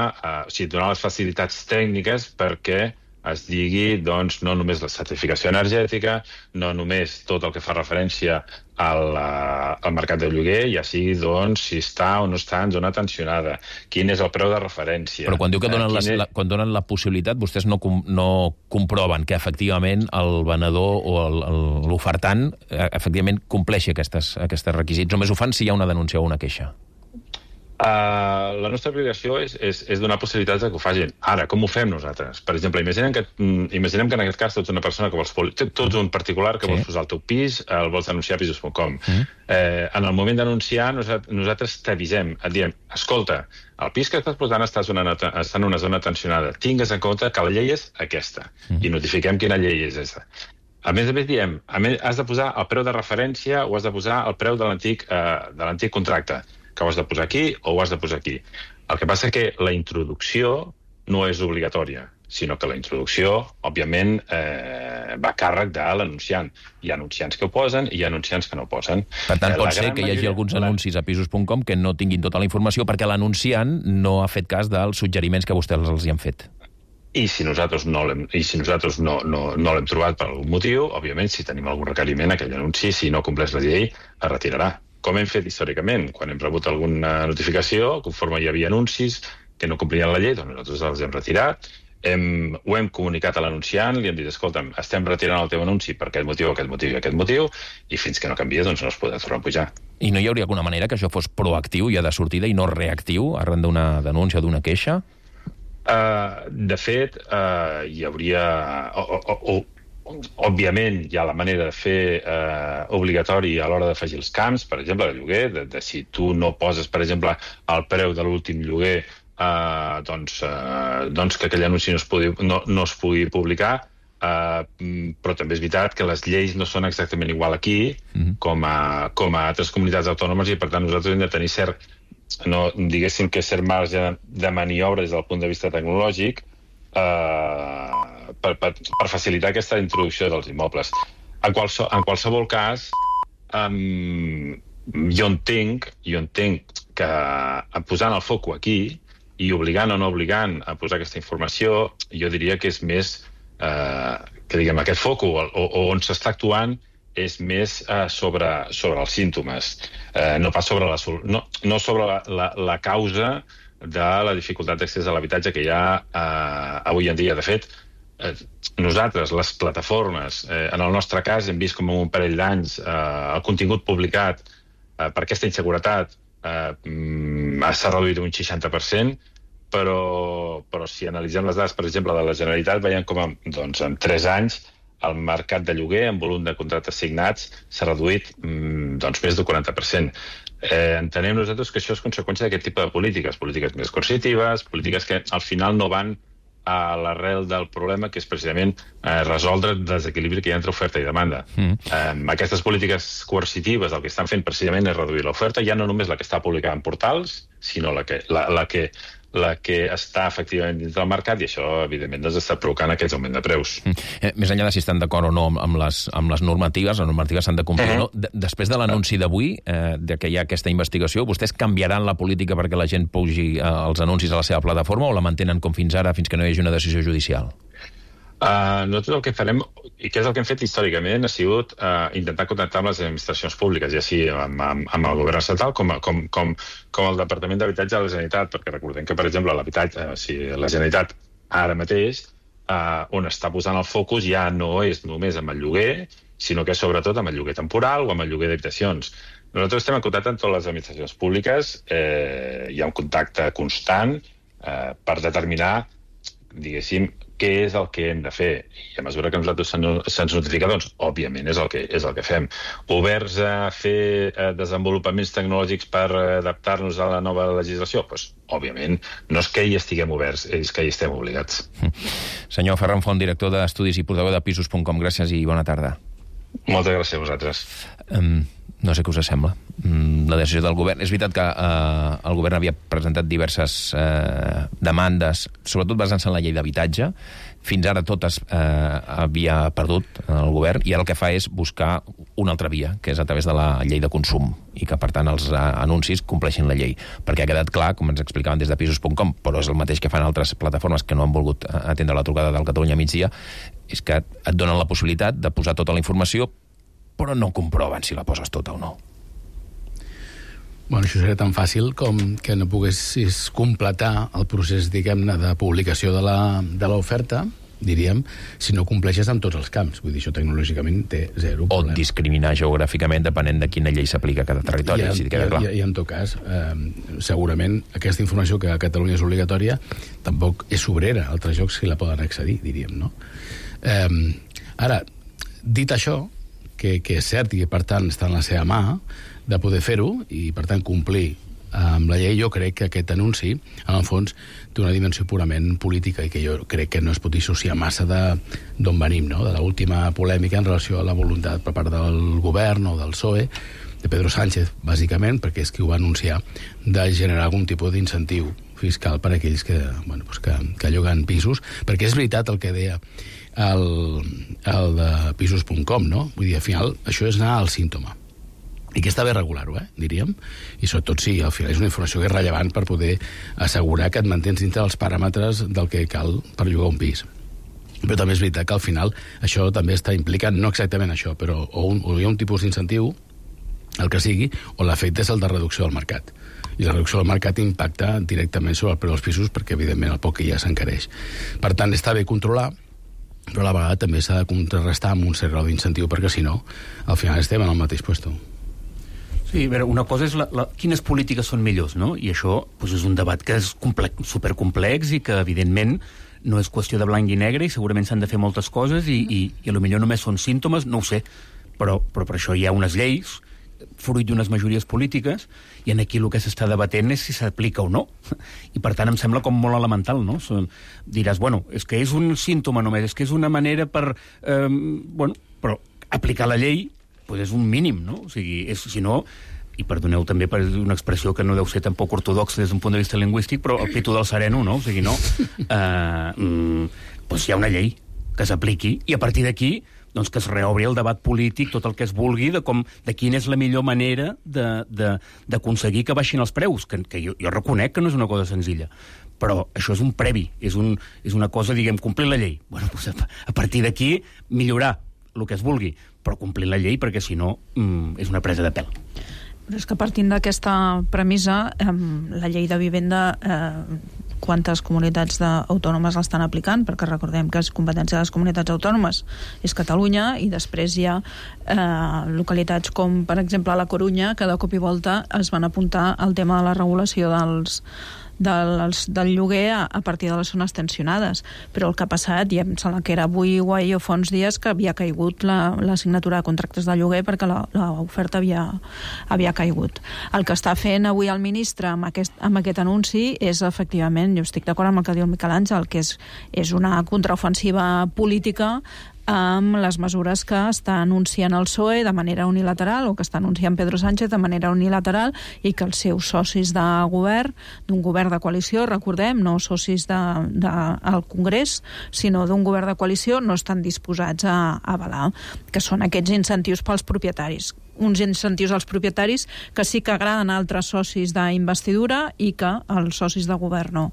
donar les facilitats tècniques perquè es digui, doncs, no només la certificació energètica, no només tot el que fa referència al mercat de lloguer, ja sigui, doncs, si està o no està en zona tensionada, quin és el preu de referència. Però quan diu que quan donen la possibilitat, vostès no comproven que efectivament el venedor o l'ofertant efectivament compleixi aquests requisits. Només ho fan si hi ha una denúncia o una queixa. La nostra obligació és donar possibilitats que ho facin. Ara, com ho fem nosaltres? Per exemple, imaginem que en aquest cas tu ets una persona que vols un particular que vols posar el teu pis, el vols denunciar a Pisos.com. En el moment d'anunciar, nosaltres t'avisem, et diem, escolta, el pis que estàs posant està en una zona tensionada, tingues en compte que la llei és aquesta, i notifiquem quina llei és aquesta. A més diem, has de posar el preu de referència o has de posar el preu de l'antic contracte, que ho has de posar aquí o ho has de posar aquí. El que passa que la introducció no és obligatòria, sinó que la introducció, òbviament, va a càrrec de l'anunciant. Hi ha anunciants que ho posen i hi ha anunciants que no ho posen. Per tant, pot ser que hi hagi alguns anuncis a Pisos.com que no tinguin tota la informació perquè l'anunciant no ha fet cas dels suggeriments que vostès els hi han fet. I si nosaltres no l'hem trobat per algun motiu, òbviament, si tenim algun requeriment, aquell anunci, si no compleix la llei, es retirarà. Com hem fet històricament. Quan hem rebut alguna notificació, conforme hi havia anuncis que no complien la llei, doncs nosaltres els hem retirat. ho hem comunicat a l'anunciant, li hem dit, escolta'm, estem retirant el teu anunci per aquest motiu, i aquest motiu, i fins que no canvia, doncs no es podrà tornar a pujar. I no hi hauria alguna manera que això fos proactiu ja de sortida i no reactiu arran d'una denúncia o d'una queixa? De fet, hi hauria... Òbviament, hi ha la manera de fer obligatori a l'hora d'afegir els camps, per exemple, de lloguer, de si tu no poses, per exemple, el preu de l'últim lloguer, doncs que aquell anunci no es pugui publicar, però també és veritat que les lleis no són exactament igual aquí com a altres comunitats autònomes i, per tant, nosaltres hem de tenir diguéssim que cert marge de maniobra des del punt de vista tecnològic per facilitar aquesta introducció dels immobles. En qualsevol cas, jo entenc que posant el foco aquí i obligant o no obligant a posar aquesta informació, jo diria que és més que diguem aquest foco on s'està actuant és més sobre els símptomes, no pas sobre la causa de la dificultat d'accés a l'habitatge que hi ha avui en dia. De fet, nosaltres, les plataformes, en el nostre cas, hem vist com en un parell d'anys el contingut publicat per aquesta inseguretat s'ha reduït un 60%, però si analitzem les dades, per exemple, de la Generalitat, veiem com en 3 anys el mercat de lloguer en volum de contractes signats s'ha reduït més del 40%. Entenem nosaltres que això és conseqüència d'aquest tipus de polítiques més coercitives, polítiques que al final no van a l'arrel del problema, que és precisament resoldre el desequilibri que hi ha entre oferta i demanda. Aquestes polítiques coercitives el que estan fent precisament és reduir l'oferta, ja no només la que està publicada en portals, sinó la que està efectivament dins del mercat, i això, evidentment, està provocant aquest augment de preus. Més enllà de si estan d'acord o no amb les normatives, les normatives s'han de complir o no. Després de l'anunci d'avui, que hi ha aquesta investigació, vostès canviaran la política perquè la gent pugi els anuncis a la seva plataforma o la mantenen com fins ara, fins que no hi hagi una decisió judicial? Nosaltres el que farem, i que és el que hem fet històricament, ha sigut intentar contactar amb les administracions públiques, ja sigui amb el govern estatal com el Departament d'Habitatge de la Generalitat, perquè recordem que, per exemple, la Generalitat ara mateix, on està posant el focus ja no és només amb el lloguer, sinó que és sobretot amb el lloguer temporal o amb el lloguer d'habitacions. Nosaltres estem en contacte amb totes les administracions públiques, hi ha un contacte constant per determinar, diguéssim, què és el que hem de fer. I a mesura que nosaltres se'ns notifica, doncs, òbviament, és el que fem. Oberts a fer desenvolupaments tecnològics per adaptar-nos a la nova legislació? Doncs, òbviament, no és que hi estiguem oberts, és que hi estem obligats. Senyor Ferran Font, director d'Estudis i portaveu de Pisos.com, gràcies i bona tarda. Moltes gràcies a vosaltres. No sé què us sembla. La decisió del govern... És veritat que el govern havia presentat diverses demandes, sobretot basant-se en la llei d'habitatge. Fins ara totes havia perdut el govern, i ara el que fa és buscar una altra via, que és a través de la llei de consum, i que, per tant, els anuncis compleixin la llei. Perquè ha quedat clar, com ens explicaven des de Pisos.com, però és el mateix que fan altres plataformes que no han volgut atendre la trucada del Catalunya Migdia, és que et donen la possibilitat de posar tota la informació, però no comproven si la poses tota o no. Bueno, això seria tan fàcil com que no poguessis completar el procés, diguem-ne, de publicació de l'oferta, diríem, si no compleixes amb tots els camps. Vull dir, això tecnològicament té zero problema. O discriminar geogràficament depenent de quina llei s'aplica a cada territori, si queda clar. I en tot cas, segurament aquesta informació que a Catalunya és obligatòria tampoc és sobrera. Altres llocs que la poden accedir, diríem, no? Ara, dit això, que és cert i que, per tant, està en la seva mà de poder fer-ho i, per tant, complir amb la llei, jo crec que aquest anunci, en el fons, té una dimensió purament política i que jo crec que no es pot dissociar massa d'on venim, no? De l'última polèmica en relació a la voluntat per part del govern o del PSOE, de Pedro Sánchez, bàsicament, perquè és qui ho va anunciar, de generar algun tipus d'incentiu fiscal per a aquells que lloguen pisos, perquè és veritat el que deia el de Pisos.com, no? Vull dir, al final, això és anar al símptoma. I que està bé regular-ho, diríem. I sobretot sí, al final és una informació que és rellevant per poder assegurar que et mantens dintre dels paràmetres del que cal per llogar un pis. Però també és veritat que al final això també està implicant, no exactament això, però o hi ha un tipus d'incentiu el que sigui, o l'efecte és el de reducció del mercat. I la reducció del mercat impacta directament sobre el preu dels pisos perquè, evidentment, el poc que ja s'encareix. Per tant, està bé controlar, però a la vegada també s'ha de contrarrestar amb un cert grau d'incentiu, perquè si no, al final estem en el mateix puesto. Sí, a veure, una cosa és quines polítiques són millors, no? I això doncs, és un debat que és supercomplex i que, evidentment, no és qüestió de blanc i negre i segurament s'han de fer moltes coses i potser només són símptomes, no ho sé, però per això hi ha unes lleis fruit d'unes majories polítiques, i en aquí el que s'està debatent és si s'aplica o no. I per tant em sembla com molt elemental, no? Diràs, bueno, és que és un símptoma només, és que és una manera per... però aplicar la llei doncs és un mínim, no? O sigui, si no, i perdoneu també per una expressió que no deu ser tampoc ortodoxa des d'un punt de vista lingüístic, però el pito del sereno, no? O sigui, no. Doncs hi ha una llei que s'apliqui, i a partir d'aquí doncs que es reobri el debat polític, tot el que es vulgui, de quina és la millor manera d'aconseguir que baixin els preus, que jo reconec que no és una cosa senzilla, però això és un previ, és una cosa, diguem, complir la llei. Bueno, doncs a partir d'aquí millorar el que es vulgui, però complir la llei, perquè si no és una presa de pèl. Però és que partint d'aquesta premissa, la llei de vivenda, quantes comunitats autònomes l'estan aplicant? Perquè recordem que és competència de les comunitats autònomes, és Catalunya, i després hi ha localitats com, per exemple, la Corunya, que de cop i volta es van apuntar al tema de la regulació del lloguer a partir de les zones tensionades. Però el que ha passat, i em sembla que era avui o ahir o fa uns dies, que havia caigut la signatura de contractes de lloguer perquè l'oferta havia caigut. El que està fent avui el ministre amb aquest anunci és, efectivament, jo estic d'acord amb el que diu el Miquel Àngel, que és una contraofensiva política amb les mesures que està anunciant el PSOE de manera unilateral, o que està anunciant Pedro Sánchez de manera unilateral, i que els seus socis de govern, d'un govern de coalició, recordem, no socis al Congrés, sinó d'un govern de coalició, no estan disposats a avalar, que són aquests incentius pels propietaris. Uns incentius als propietaris que sí que agraden a altres socis d'investidura i que als socis de govern no.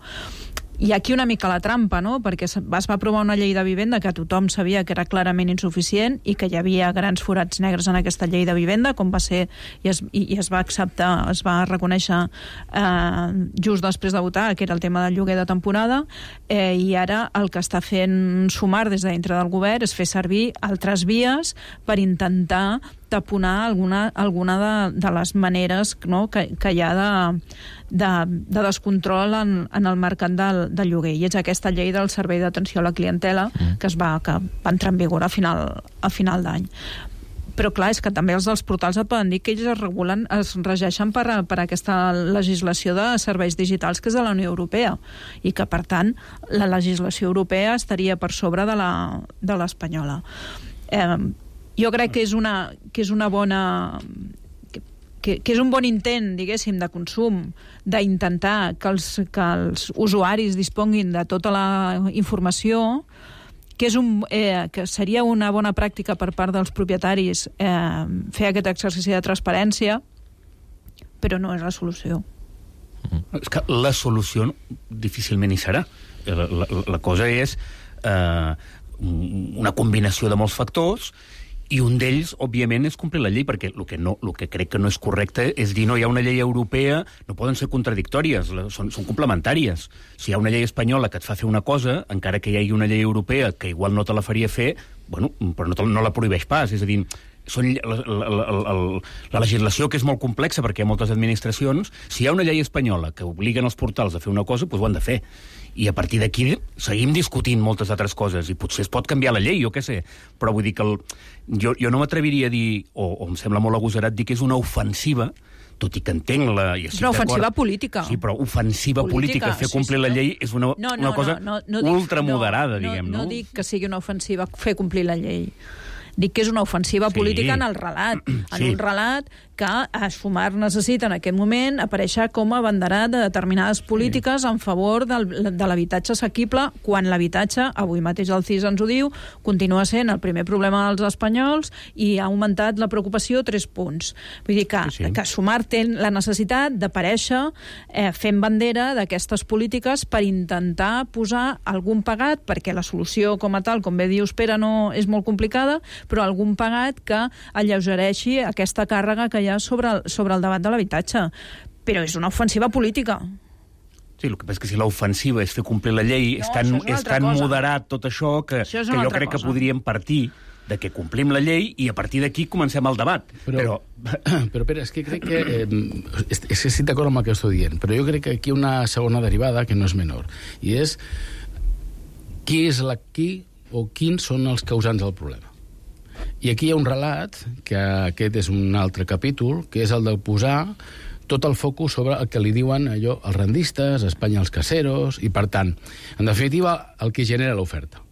I aquí una mica la trampa, no? Perquè es va aprovar una llei de vivenda que tothom sabia que era clarament insuficient i que hi havia grans forats negres en aquesta llei de vivenda, com va ser, i es va acceptar, es va reconèixer just després de votar, que era el tema del lloguer de temporada, i ara el que està fent Sumar des de dintre del govern és fer servir altres vies per intentar taponar alguna de les maneres, no, que hi ha de descontrol en el mercat del lloguer. I és aquesta llei del servei d'atenció a la clientela que va entrar en vigor a final d'any. Però clar, és que també els dels portals et poden dir que ells es regeixen per aquesta legislació de serveis digitals que és de la Unió Europea, i que per tant la legislació europea estaria per sobre de l'espanyola. Jo crec que és una bona... que és un bon intent, diguéssim, de consum, d'intentar que els usuaris disponguin de tota la informació, que seria una bona pràctica per part dels propietaris fer aquest exercici de transparència, però no és la solució. És que la solució difícilment hi serà. La cosa és una combinació de molts factors, i un d'ells, òbviament, és complir la llei, perquè el que crec que no és correcte és dir no hi ha una llei europea, no poden ser contradictòries, són complementàries. Si hi ha una llei espanyola que et fa fer una cosa, encara que hi hagi una llei europea que igual no te la faria fer, bueno, però no la prohibeix pas, és a dir, la legislació, que és molt complexa perquè hi ha moltes administracions, si hi ha una llei espanyola que obliguen els portals a fer una cosa, doncs ho han de fer. I a partir d'aquí seguim discutint moltes altres coses, i potser es pot canviar la llei, jo què sé, però vull dir que jo no m'atreviria a dir, o em sembla molt agosarat dir que és una ofensiva, tot i que entenc la... És una ofensiva política. Sí, però ofensiva política, fer complir la llei és una cosa ultramoderada, diguem, no? No dic que sigui una ofensiva fer complir la llei. Dic que és una ofensiva política en el relat. En un relat que a Sumar necessita en aquest moment aparèixer com a abanderat de determinades polítiques en favor de l'habitatge assequible, quan l'habitatge, avui mateix el CIS ens ho diu, continua sent el primer problema dels espanyols i ha augmentat la preocupació 3 punts. Vull dir que Sumar té la necessitat d'aparèixer fent bandera d'aquestes polítiques per intentar posar algun pegat, perquè la solució com a tal, com bé dius, Pere, no és molt complicada, però algun pagat que alleugereixi aquesta càrrega que hi ha sobre el debat de l'habitatge. Però és una ofensiva política. Sí, el que passa és que si l'ofensiva és fer complir la llei, és tan moderat tot això que jo crec que podríem partir de que complim la llei i a partir d'aquí comencem el debat. Però Pere, és que crec que... és que estic d'acord amb el que estic dient, però jo crec que aquí hi ha una segona derivada que no és menor, i és quins són els causants del problema. I aquí hi ha un relat, que aquest és un altre capítol, que és el de posar tot el focus sobre el que li diuen allò els rendistes, Espanya els caseros, i per tant, en definitiva, el que genera l'oferta.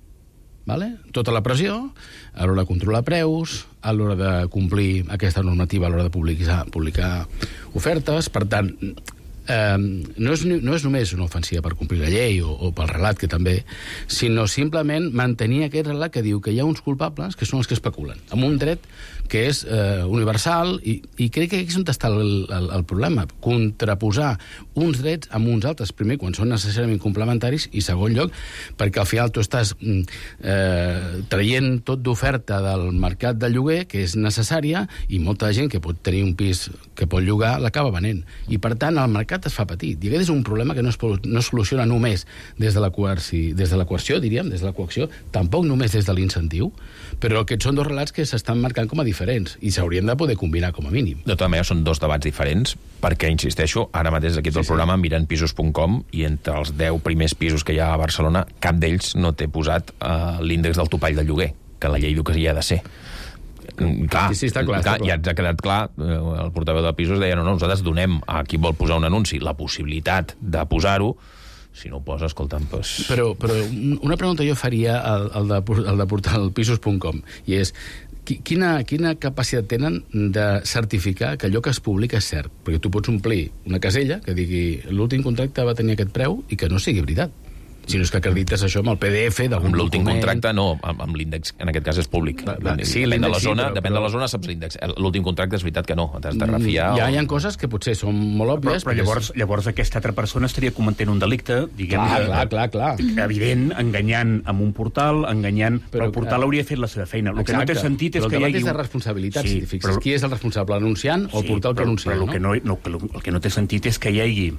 Vale? Tota la pressió a l'hora de controlar preus, a l'hora de complir aquesta normativa, a l'hora de publicar ofertes. Per tant, no és només una ofensiva per complir la llei o pel relat, que també, sinó simplement mantenir aquest relat que diu que hi ha uns culpables que són els que especulen, amb un dret que és universal, i crec que aquí és on està el problema, contraposar uns drets amb uns altres, primer, quan són necessàriament complementaris, i segon lloc, perquè al final tu estàs traient tot d'oferta del mercat de lloguer, que és necessària, i molta gent que pot tenir un pis que pot llogar, l'acaba venent. I per tant, el mercat es fa petit. I aquest és un problema que no es soluciona només des de la coerció, diríem, des de la coacció, tampoc només des de l'incentiu, però aquests són dos relats que s'estan marcant com a diferents i s'haurien de poder combinar com a mínim. De tota manera, són dos debats diferents, perquè, insisteixo, ara mateix aquí tot el programa mirant pisos.com, i entre els 10 primers pisos que hi ha a Barcelona, cap d'ells no té posat l'índex del topall de lloguer, que la llei diu que hi ha de ser. Clar, està clar. Ja ens ha quedat clar, el portaveu de pisos deia, no, nosaltres donem a qui vol posar un anunci la possibilitat de posar-ho. Si no ho posa, escolta'm, doncs... Però una pregunta jo faria al de portal pisos.com, i és quina capacitat tenen de certificar que allò que es publica és cert? Perquè tu pots omplir una casella que digui l'últim contracte va tenir aquest preu i que no sigui veritat. Si no és que acredites això amb el PDF d'algun document... L'últim contracte no, amb l'índex, en aquest cas és públic. Sí, depèn de la zona, depèn de la zona, saps l'índex. L'últim contracte és veritat que no, t'has de refiar... Hi ha coses que potser són molt òbvies... Però llavors aquesta altra persona estaria cometent un delicte, diguem... Clar. Evident, enganyant amb un portal, enganyant... Però el portal hauria fet la seva feina. El que no té sentit és que hi hagi... Però el debat és de responsabilitat, si fixes. Qui és el responsable, l'anunciant o el portal que anuncia? Però el que no té sentit és que hi hagi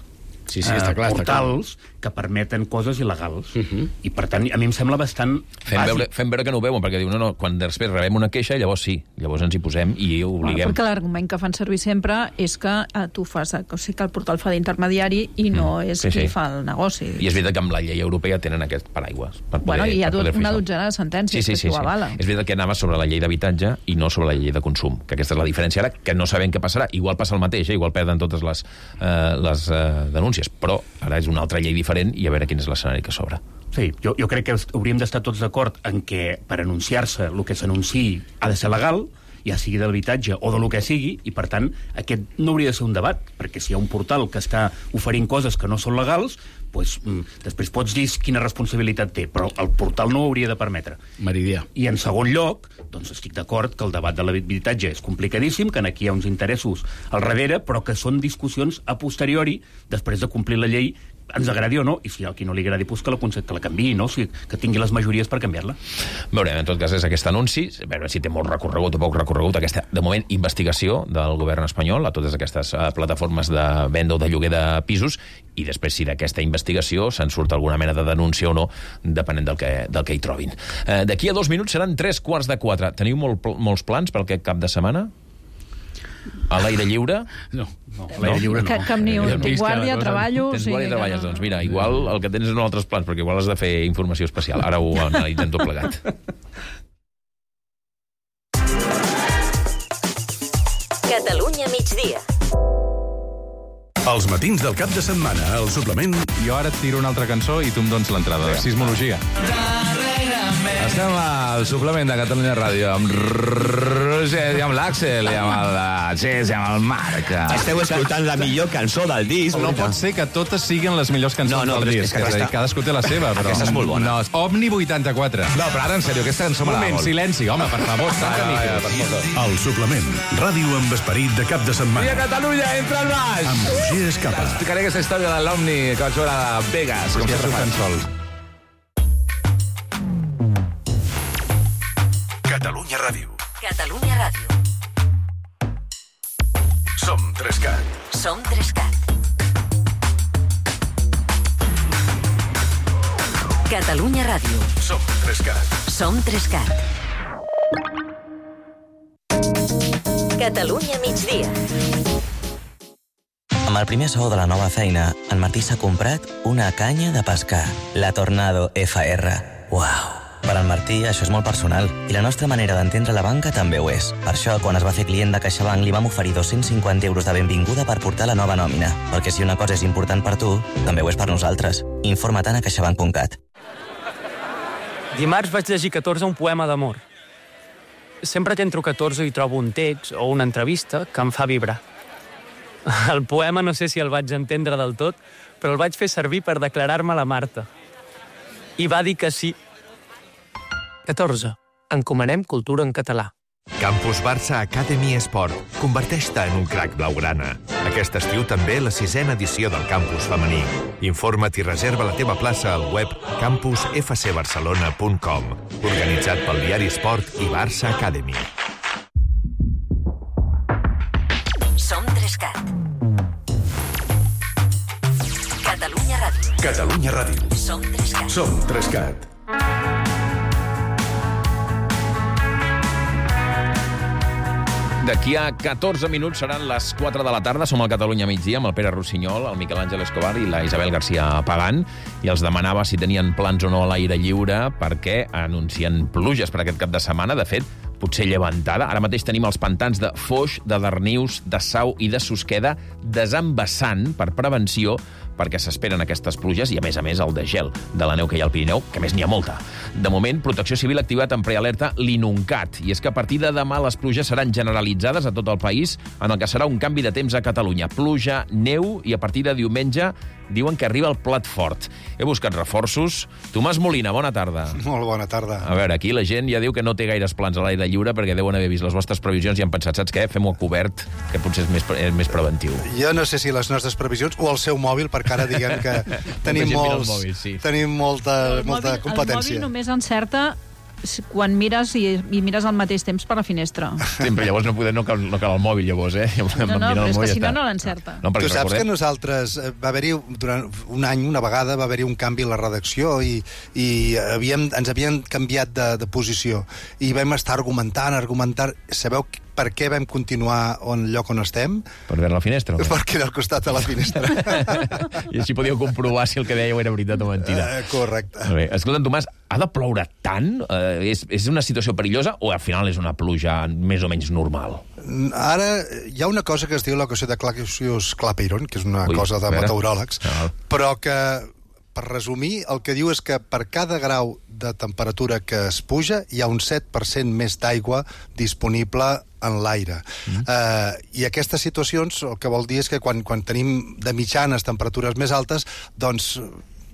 portals que permeten coses il·legals. I, per tant, a mi em sembla bastant bàsic. Fem veure que no ho veuen, perquè diu, no, quan després rebem una queixa, llavors sí, llavors ens hi posem i ho obliguem. Perquè l'argument que fan servir sempre és que tu fas... O sigui, que el portal fa d'intermediari i no és qui fa el negoci. I és veritat que amb la llei europea tenen aquest paraigües. I hi ha una dotzena de sentències que ho avala. És veritat que anava sobre la llei d'habitatge i no sobre la llei de consum, que aquesta és la diferència ara, que no sabem què passarà. Igual passa el mateix, igual perden totes les denúncies, però ara és una altra llei diferent i a veure quin és l'escenari que s'obre. Sí, jo crec que hauríem d'estar tots d'acord en que per anunciar-se el que s'anunciï ha de ser legal, ja sigui de l'habitatge o de lo que sigui, i per tant aquest no hauria de ser un debat, perquè si hi ha un portal que està oferint coses que no són legals, doncs, després pots dir quina responsabilitat té, però el portal no ho hauria de permetre. Meridià. I en segon lloc, doncs estic d'acord que el debat de l'habitatge és complicadíssim, que aquí hi ha uns interessos al darrere, però que són discussions a posteriori, després de complir la llei, ens agradi o no, i si a qui no li agradi, doncs que la canviï, no? O sigui, que tingui les majories per canviar-la. Veurem, en tot cas, és aquest anunci, a veure si té molt recorregut o poc recorregut, aquesta, de moment, investigació del govern espanyol a totes aquestes plataformes de venda o de lloguer de pisos, i després, si d'aquesta investigació se'n surt alguna mena de denúncia o no, depenent del que hi trobin. D'aquí a 2 minuts seran 3:45. Teniu molts plans pel cap de setmana? A l'aire lliure? No. A l'aire lliure no. Cap ni un. Tinc guàrdia, treballo... Tens guàrdia i treballes, doncs mira, igual el que tens són altres plans, perquè igual has de fer informació especial. Ara ho analitzem tot plegat. Catalunya migdia. Els matins del cap de setmana, el suplement... Jo ara et tiro una altra cançó i tu em dones l'entrada de Sismologia. Estem al suplement de Catalunya Ràdio amb Roger i amb l'Àxel i amb el Gés i amb el Marc. Esteu escoltant la millor cançó del disc. No pot ser que totes siguin les millors cançons del disc. Cadascú té la seva, però... Aquesta és molt bona. No, Omni 84. No, però ara, en sèrio, aquesta cançó m'agrada molt. Silenci, home, per favor. El suplement. Ràdio amb esperit de cap de setmana. I a Catalunya, entra al baix! Amb Roger Escapa. Explicaré aquesta història de l'Omni que vaig veure a Vegas, com si fos sol. Catalunya Ràdio. Ràdio. Catalunya Ràdio. Som 3CAT. Som 3CAT. Catalunya Ràdio. Som 3CAT. Som 3CAT. Catalunya migdia. Amb el primer sou de la nova feina, en Martí s'ha comprat una canya de pescar, la Tornado FR. Uau! Per al Martí això és molt personal i la nostra manera d'entendre la banca també ho és. Per això, quan es va fer client de CaixaBank, li vam oferir 250 euros de benvinguda per portar la nova nòmina. Perquè si una cosa és important per tu, també ho és per nosaltres. Informa-te'n a caixabank.cat. Dimarts vaig llegir 14 un poema d'amor. Sempre que entro 14 hi trobo un text o una entrevista que em fa vibrar. El poema no sé si el vaig entendre del tot, però el vaig fer servir per declarar-me a la Marta. I va dir que sí. 14. Encomanem cultura en català. Campus Barça Academy Esport. Converteix-te en un crac blaugrana. Aquest estiu també la 6ª edició del campus femení. Informa't i reserva la teva plaça al web campusfcbarcelona.com. Organitzat pel diari Esport i Barça Academy. Som 3CAT. Catalunya Ràdio. Catalunya Ràdio. Som 3CAT. Som 3CAT. D'aquí a 14 minuts seran les 4 de la tarda. Som al Catalunya migdia amb el Pere Rossinyol, el Miquel Àngel Escobar i la Isabel García Pagant, i els demanava si tenien plans o no a l'aire lliure perquè anuncien pluges per aquest cap de setmana. De fet, potser llevantada. Ara mateix tenim els pantans de Foix, de Darnius, de Sau i de Susqueda desembassant per prevenció, perquè s'esperen aquestes pluges i, a més, el de gel de la neu que hi ha al Pirineu, que més n'hi ha molta. De moment, Protecció Civil ha activat en prealerta l'Inuncat, i és que a partir de demà les pluges seran generalitzades a tot el país, en el que serà un canvi de temps a Catalunya. Pluja, neu, i a partir de diumenge diuen que arriba el plat fort. He buscat reforços. Tomàs Molina, bona tarda. Molt bona tarda. A veure, aquí la gent ja diu que no té gaires plans a l'aire lliure perquè deuen haver vist les vostres previsions i han pensat, saps què? Fem-ho a cobert, que potser és més preventiu. Jo no sé si les nostres previsions o el seu mòbil, perquè ara diguem que tenim molta competència. El mòbil només encerta quan mires i mires al mateix temps per la finestra. Sí, però llavors no cal el mòbil, llavors, eh? No, però és que si no l'encerta. Tu saps que nosaltres va haver-hi, durant un any, una vegada, va haver-hi un canvi a la redacció i ens havien canviat de posició i vam estar argumentant. Sabeu per què vam continuar al lloc on estem? Per veure la finestra? Perquè era al costat de la finestra. I així podíeu comprovar si el que dèieu era veritat o mentida. Correcte. Bé, escolta'm, Tomàs, ha de ploure tant? És una situació perillosa o al final és una pluja més o menys normal? Ara hi ha una cosa que es diu l'equació de Clapeyron, que és una cosa de meteoròlegs, però que, per resumir, el que diu és que per cada grau de temperatura que es puja hi ha un 7% més d'aigua disponible en l'aire. I aquestes situacions el que vol dir és que quan tenim de mitjanes temperatures més altes, doncs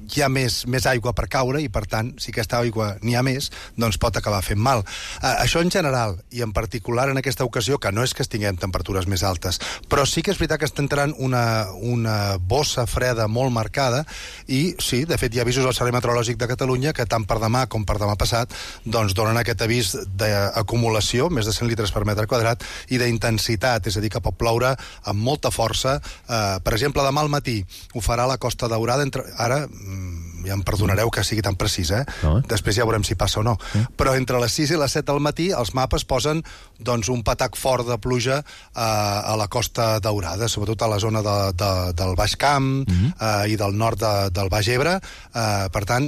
hi ha més aigua per caure i, per tant, si aquesta aigua n'hi ha més, doncs pot acabar fent mal. Això en general, i en particular en aquesta ocasió, que no és que tinguem temperatures més altes, però sí que és veritat que està entrant una bossa freda molt marcada i, sí, de fet, hi ha avisos al Servei Meteorològic de Catalunya que tant per demà com per demà passat doncs donen aquest avís d'acumulació, més de 100 litres per metre quadrat, i d'intensitat, és a dir, que pot ploure amb molta força. Per exemple, demà al matí ho farà a la Costa Daurada, ara ja em perdonareu que sigui tan precís, després ja veurem si passa o no, però entre les 6 i les 7 del matí els mapes posen doncs un patac fort de pluja a la Costa Daurada, sobretot a la zona del Baix Camp i del nord del Baix Ebre. Per tant,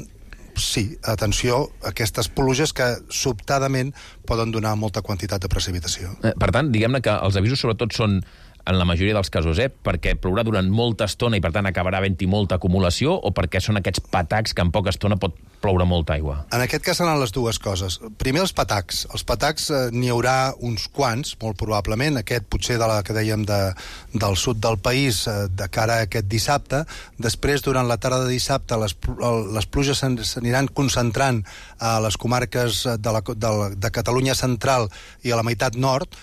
sí, atenció, aquestes pluges que sobtadament poden donar molta quantitat de precipitació. Per tant, diguem-ne que els avisos sobretot són en la majoria dels casos, perquè plourà durant molta estona i, per tant, acabarà havent-hi molta acumulació, o perquè són aquests patacs que en poca estona pot ploure molta aigua? En aquest cas seran les dues coses. Primer, els patacs. Els patacs n'hi haurà uns quants, molt probablement. Aquest, potser de la que dèiem del sud del país, de cara a aquest dissabte. Després, durant la tarda de dissabte, les pluges s'aniran concentrant a les comarques de Catalunya central i a la meitat nord,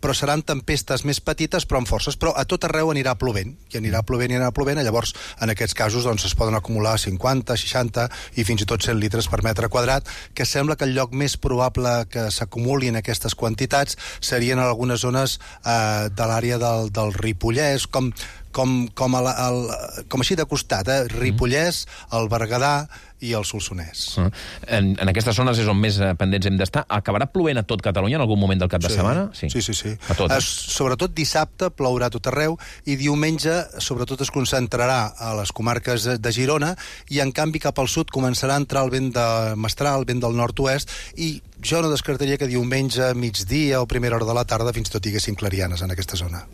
però seran tempestes més petites però amb forces, però a tot arreu anirà plovent, i anirà plovent, llavors en aquests casos doncs, es poden acumular 50, 60 i fins i tot 100 litres per metre quadrat, que sembla que el lloc més probable que s'acumulin aquestes quantitats serien en algunes zones de l'àrea del Ripollès, com així de costat, Ripollès, el Berguedà i el Solsonès. En aquestes zones és on més pendents hem d'estar. Acabarà plovent a tot Catalunya en algun moment del cap de setmana? Sí. A tot. Sobretot dissabte plourà a tot arreu i diumenge sobretot es concentrarà a les comarques de Girona i en canvi cap al sud començarà a entrar el vent de mestral, el vent del nord-oest, i jo no descartaria que diumenge, migdia o primera hora de la tarda fins i tot hi haguessin clarianes en aquesta zona.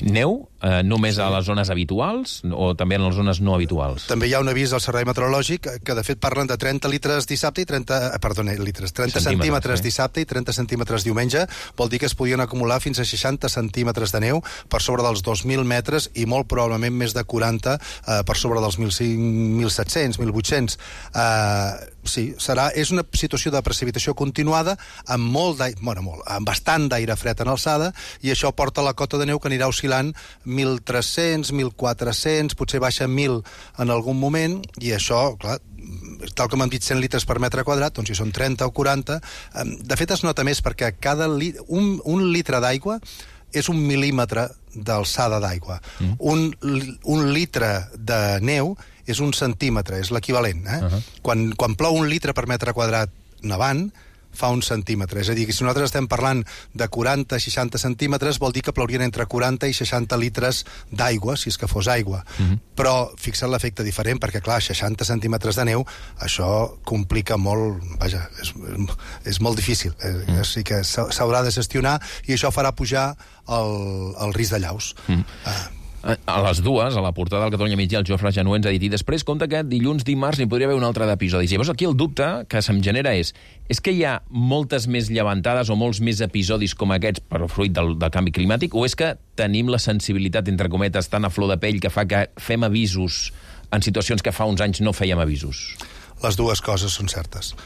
Neu només a les zones habituals o també en les zones no habituals? També hi ha un avís del Servei Meteorològic que de fet parlen de 30 litres dissabte i 30 centímetres dissabte i 30 centímetres diumenge. Vol dir que es podien acumular fins a 60 centímetres de neu per sobre dels 2.000 metres i molt probablement més de 40 per sobre dels 1.700, 1.800. Sí, és una situació de precipitació continuada amb bastant d'aire fred en alçada, i això porta la cota de neu que anirà oscil·lant 1.300, 1.400, potser baixa 1.000 en algun moment, i això, clar, tal com hem dit, 100 litres per metre quadrat, doncs si són 30 o 40, de fet es nota més perquè un litre d'aigua és 1 mil·límetre d'alçada d'aigua. Un litre de neu és 1 centímetre, és l'equivalent. Quan plou 1 litre per metre quadrat nevant, fa 1 centímetre. És a dir, que si nosaltres estem parlant de 40-60 centímetres, vol dir que plourien entre 40 i 60 litres d'aigua, si és que fos aigua. Però fixa't l'efecte diferent, perquè, clar, 60 centímetres de neu, això complica molt... Vaja, és molt difícil. Així que s'haurà de gestionar i això farà pujar el risc de llaus. A les dues, a la portada del Catalunya Migdia, el Jofre Janú ens ha dit, i després compta que dilluns, dimarts, n'hi podria haver un altre d'episodis. Llavors aquí el dubte que se'm genera és que hi ha moltes més llevantades o molts més episodis com aquests per fruit del canvi climàtic, o és que tenim la sensibilitat, entre cometes, tan a flor de pell que fa que fem avisos en situacions que fa uns anys no fèiem avisos? Les dues coses són certes.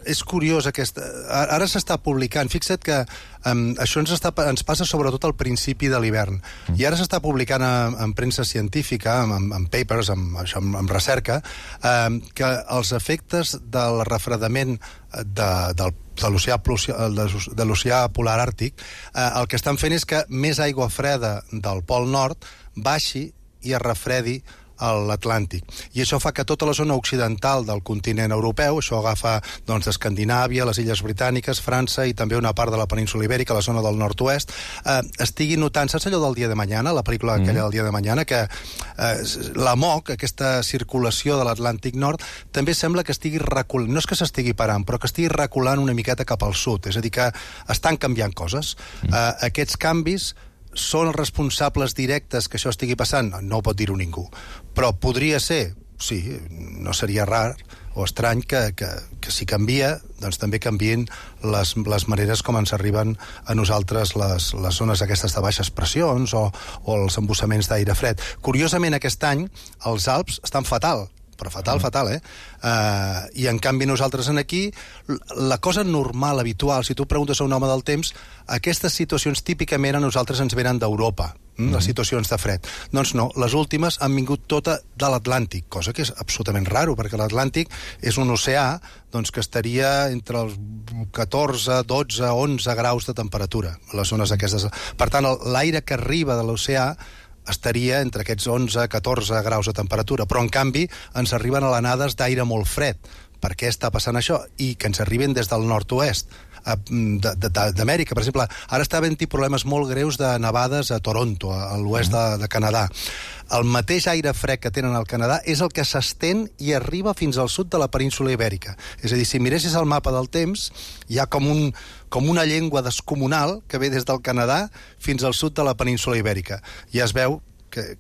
És curiós ara s'està publicant, fixa't que això ens passa sobretot al principi de l'hivern, i ara s'està publicant en premsa científica, en papers, en recerca, que els efectes del refredament de l'oceà polar àrtic el que estan fent és que més aigua freda del Pol Nord baixi i es refredi a l'Atlàntic. I això fa que tota la zona occidental del continent europeu, això agafa doncs, d'Escandinàvia, les Illes Britàniques, França i també una part de la península Ibèrica, la zona del nord-oest, estigui notant, saps allò del Dia de Mañana, la pel·lícula aquella del Dia de Mañana, que la MOC, aquesta circulació de l'Atlàntic Nord, també sembla que estigui reculant, no és que s'estigui parant, però que estigui reculant una miqueta cap al sud, és a dir, que estan canviant coses. Aquests canvis són els responsables directes que això estigui passant? No ho pot dir-ho ningú. Però podria ser, sí, no seria rar o estrany que si canvia, doncs també canvien les maneres com ens arriben a nosaltres les zones aquestes de baixes pressions o els embussaments d'aire fred. Curiosament, aquest any els Alps estan fatal, però fatal, i en canvi nosaltres aquí, la cosa normal, habitual, si tu preguntes a un home del temps, aquestes situacions típicament a nosaltres ens venen d'Europa, les situacions de fred. Doncs no, les últimes han vingut tota de l'Atlàntic, cosa que és absolutament raro, perquè l'Atlàntic és un oceà doncs, que estaria entre els 14, 12, 11 graus de temperatura, les zones aquestes. Per tant, l'aire que arriba de l'oceà estaria entre aquests 11-14 graus de temperatura, però en canvi ens arriben alenades d'aire molt fred. Per què està passant això? I que ens arriben des del nord-oest d'Amèrica. Per exemple, ara està havent-hi problemes molt greus de nevades a Toronto, a l'oest de Canadà. El mateix aire fred que tenen al Canadà és el que s'estén i arriba fins al sud de la península Ibèrica. És a dir, si miressis el mapa del temps, hi ha com una llengua descomunal que ve des del Canadà fins al sud de la península Ibèrica. Ja es veu que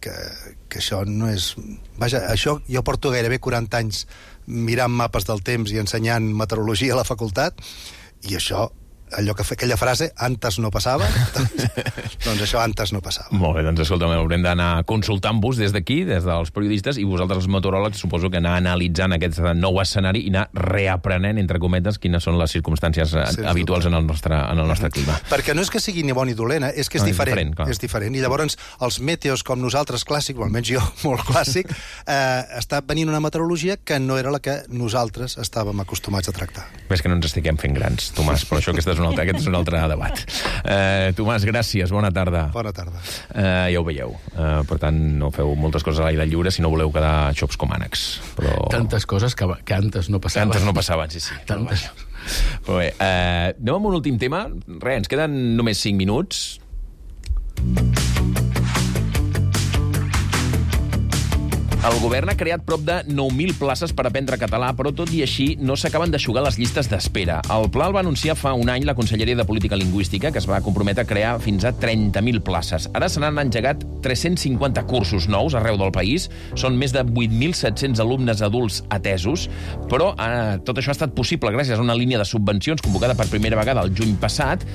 això no és... Vaja, això jo porto gairebé 40 anys mirant mapes del temps i ensenyant meteorologia a la facultat, i això allò que aquella frase, antes no passava, doncs això antes no passava. Molt bé, doncs escolta'm, haurem d'anar consultant-vos des d'aquí, des dels periodistes, i vosaltres, els meteoròlegs, suposo que anar analitzant aquest nou escenari i anar reaprenent, entre cometes, quines són les circumstàncies habituals en el nostre clima. Perquè no és que sigui ni bon ni dolent, és que és diferent. És diferent. I llavors, els meteos com nosaltres clàssics, o almenys jo molt clàssic, està venint una meteorologia que no era la que nosaltres estàvem acostumats a tractar. Ves que no ens estiguem fent grans, Tomàs, però això aquest és un altre debat. Tomàs, gràcies, bona tarda. Bona tarda. Ja ho veieu. Per tant, no feu moltes coses a l'aire lliure si no voleu quedar xops com ànecs. Però... Tantes coses que antes no passaven. Antes no passaven, sí. Tantes. Però bé, anem amb un últim tema. Res, ens queden només 5 minuts. El govern ha creat prop de 9.000 places per aprendre català, però tot i així no s'acaben d'eixugar les llistes d'espera. El pla el va anunciar fa un any la Conselleria de Política Lingüística, que es va comprometre a crear fins a 30.000 places. Ara se n'han engegat 350 cursos nous arreu del país. Són més de 8.700 alumnes adults atesos, però tot això ha estat possible gràcies a una línia de subvencions convocada per primera vegada el juny passat,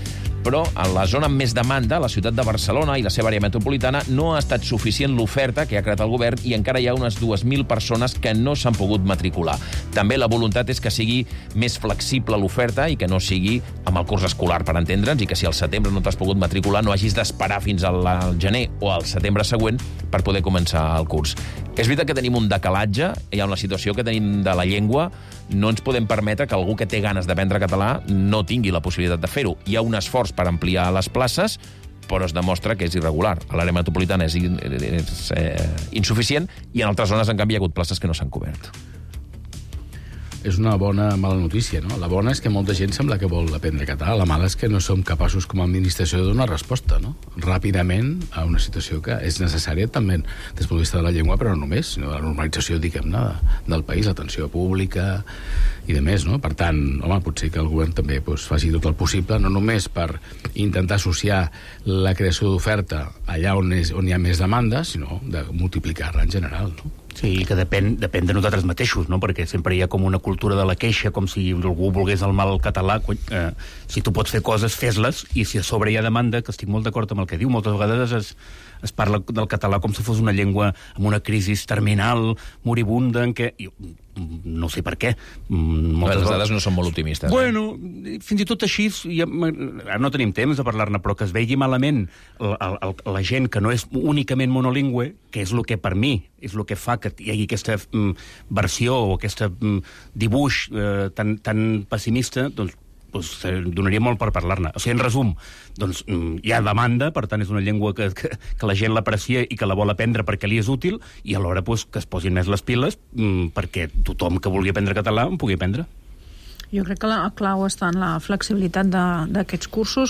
però a la zona amb més demanda, la ciutat de Barcelona i la seva àrea metropolitana, no ha estat suficient l'oferta que ha creat el govern i encara hi ha unes 2.000 persones que no s'han pogut matricular. També la voluntat és que sigui més flexible l'oferta i que no sigui amb el curs escolar, per entendre'ns, i que si al setembre no t'has pogut matricular no hagis d'esperar fins al gener o al setembre següent per poder començar el curs. És veritat que tenim un decalatge, hi ha una situació que tenim de la llengua, no ens podem permetre que algú que té ganes d'aprendre català no tingui la possibilitat de fer-ho. Hi ha un esforç per ampliar les places, però es demostra que és irregular. A l'àrea metropolitana és insuficient i en altres zones, en canvi, hi ha hagut places que no s'han cobert. És una bona mala notícia, no? La bona és que molta gent sembla que vol aprendre català. La mala és que no som capaços com a administració de donar resposta, no? Ràpidament a una situació que és necessària també des del punt de vista de la llengua, però no només, sinó de la normalització, diguem-ne, del país, l'atenció pública i de més, no? Per tant, home, potser que el govern també faci tot el possible, no només per intentar associar la creació d'oferta allà on hi ha més demanda, sinó de multiplicar-la en general, no? Sí, que depèn de nosaltres mateixos, no? Perquè sempre hi ha com una cultura de la queixa, com si algú volgués el mal català. Si tu pots fer coses, fes-les, i si a sobre hi ha demanda, que estic molt d'acord amb el que diu, moltes vegades es parla del català com si fos una llengua amb una crisi terminal, moribunda, en què... No sé per què. Les dades no són molt optimistes. Bueno, fins i tot així, ara no tenim temps de parlar-ne, però que es vegi malament la gent que no és únicament monolingüe, que és el que per mi és el que fa que hi hagi aquesta versió o aquest dibuix tan pessimista, doncs donaria molt per parlar-ne. O sigui, en resum, doncs hi ha demanda, per tant és una llengua que la gent l'aprecia i que la vol aprendre perquè li és útil, i alhora que es posin més les piles perquè tothom que vulgui aprendre català en pugui aprendre. Jo crec que la clau està en la flexibilitat d'aquests cursos.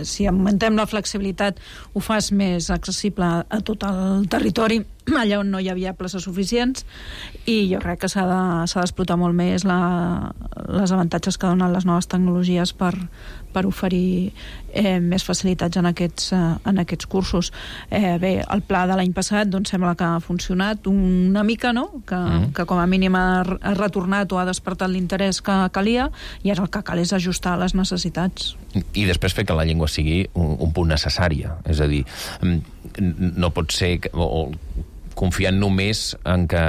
Si augmentem la flexibilitat, ho fas més accessible a tot el territori, allà on no hi havia places suficients, i jo crec que s'ha d'explotar molt més les avantatges que donen les noves tecnologies per oferir més facilitats en aquests cursos. Bé, el pla de l'any passat doncs sembla que ha funcionat una mica, no? Que com a mínim ha retornat o ha despertat l'interès que calia, i ara el que cal és ajustar les necessitats. I després fer que la llengua sigui un punt necessària. És a dir, no pot ser confiant només en que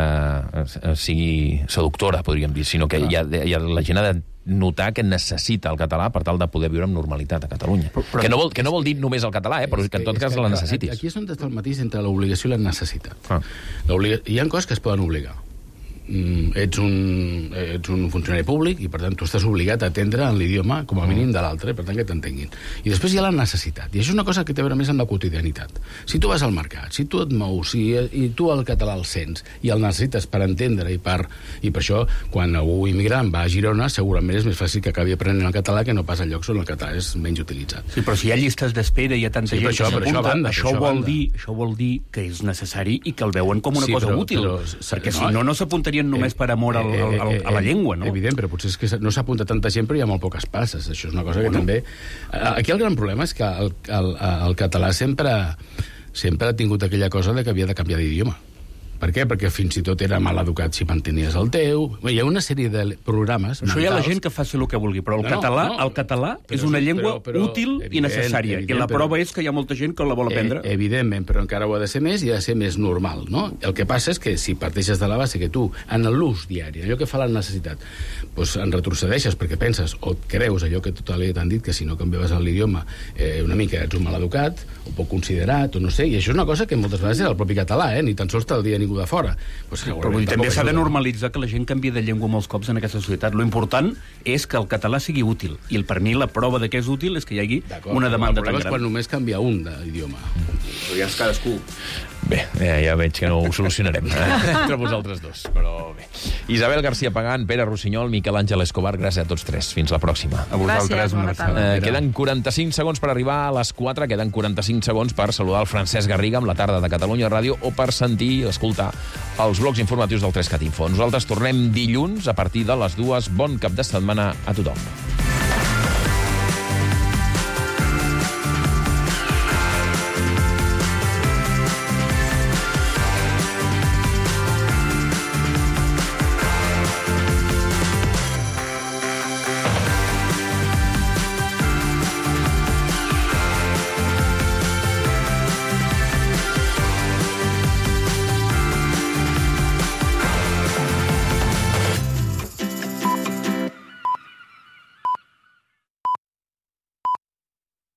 sigui seductora, podríem dir, sinó que la gent ha de notar que necessita el català per tal de poder viure amb normalitat a Catalunya. Que no vol dir només el català, però que en tot cas la necessitis. Aquí és on està el matís entre l'obligació i la necessitat. Hi ha coses que es poden obligar. Ets un funcionari públic i per tant tu estàs obligat a atendre en l'idioma com a mínim de l'altre, per tant que t'entenguin. I després hi ha la necessitat, i això és una cosa que té a veure més amb la quotidianitat. Si tu vas al mercat, si tu et mous, i tu el català el sents i el necessites per entendre, i per això quan algú immigrant va a Girona segurament és més fàcil que acabi aprenent el català que no pas a llocs on el català és menys utilitzat. Sí, però si hi ha llistes d'espera i hi ha tanta gent que s'apunta, això vol dir que és necessari i que el veuen com una cosa útil, perquè si no s'apuntaria només per amor a la llengua, no? Evident, però potser és que no s'apunta tanta gent, però hi ha molt poques places. Això és una cosa que també... Aquí el gran problema és que el català sempre ha tingut aquella cosa de que havia de canviar d'idioma. Per què? Perquè fins i tot era mal educat si mantenies el teu... Hi ha una sèrie de programes mentals... Això hi ha la gent que faci el que vulgui, però el català és una llengua útil i necessària. I la prova és que hi ha molta gent que la vol aprendre. Evidentment, però encara ho ha de ser més i ha de ser més normal, no? El que passa és que si parteixes de la base que tu, en l'ús diari, allò que fa la necessitat, doncs en retrocedeixes perquè penses o et creus allò que tota la t'han dit, que si no canviaves l'idioma una mica ets un mal educat, o poc considerat, o no sé, i això és una cosa que moltes vegades és el propi català, ni tan sols te'l dia ningú de fora. Pues, però també s'ha de normalitzar que la gent canvia de llengua molts cops en aquesta societat. Lo important és que el català sigui útil, i per mi la prova de que és útil és que hi hagi una demanda tan gran. Quan només canvia un d'idioma. Però ja és cadascú. Bé, ja veig que no ho solucionarem entre vosaltres dos, però bé. Isabel García Pagán, Pere Rossinyol, Miquel Àngel Escobar, gràcies a tots tres. Fins la pròxima. A vosaltres. Queden 45 segons per arribar a les 4, queden 45 segons per saludar el Francesc Garriga amb la tarda de Catalunya Ràdio o per sentir, escoltar els blocs informatius del 3CAT Info. Nosaltres tornem dilluns a partir de les 2. Bon cap de setmana a tothom.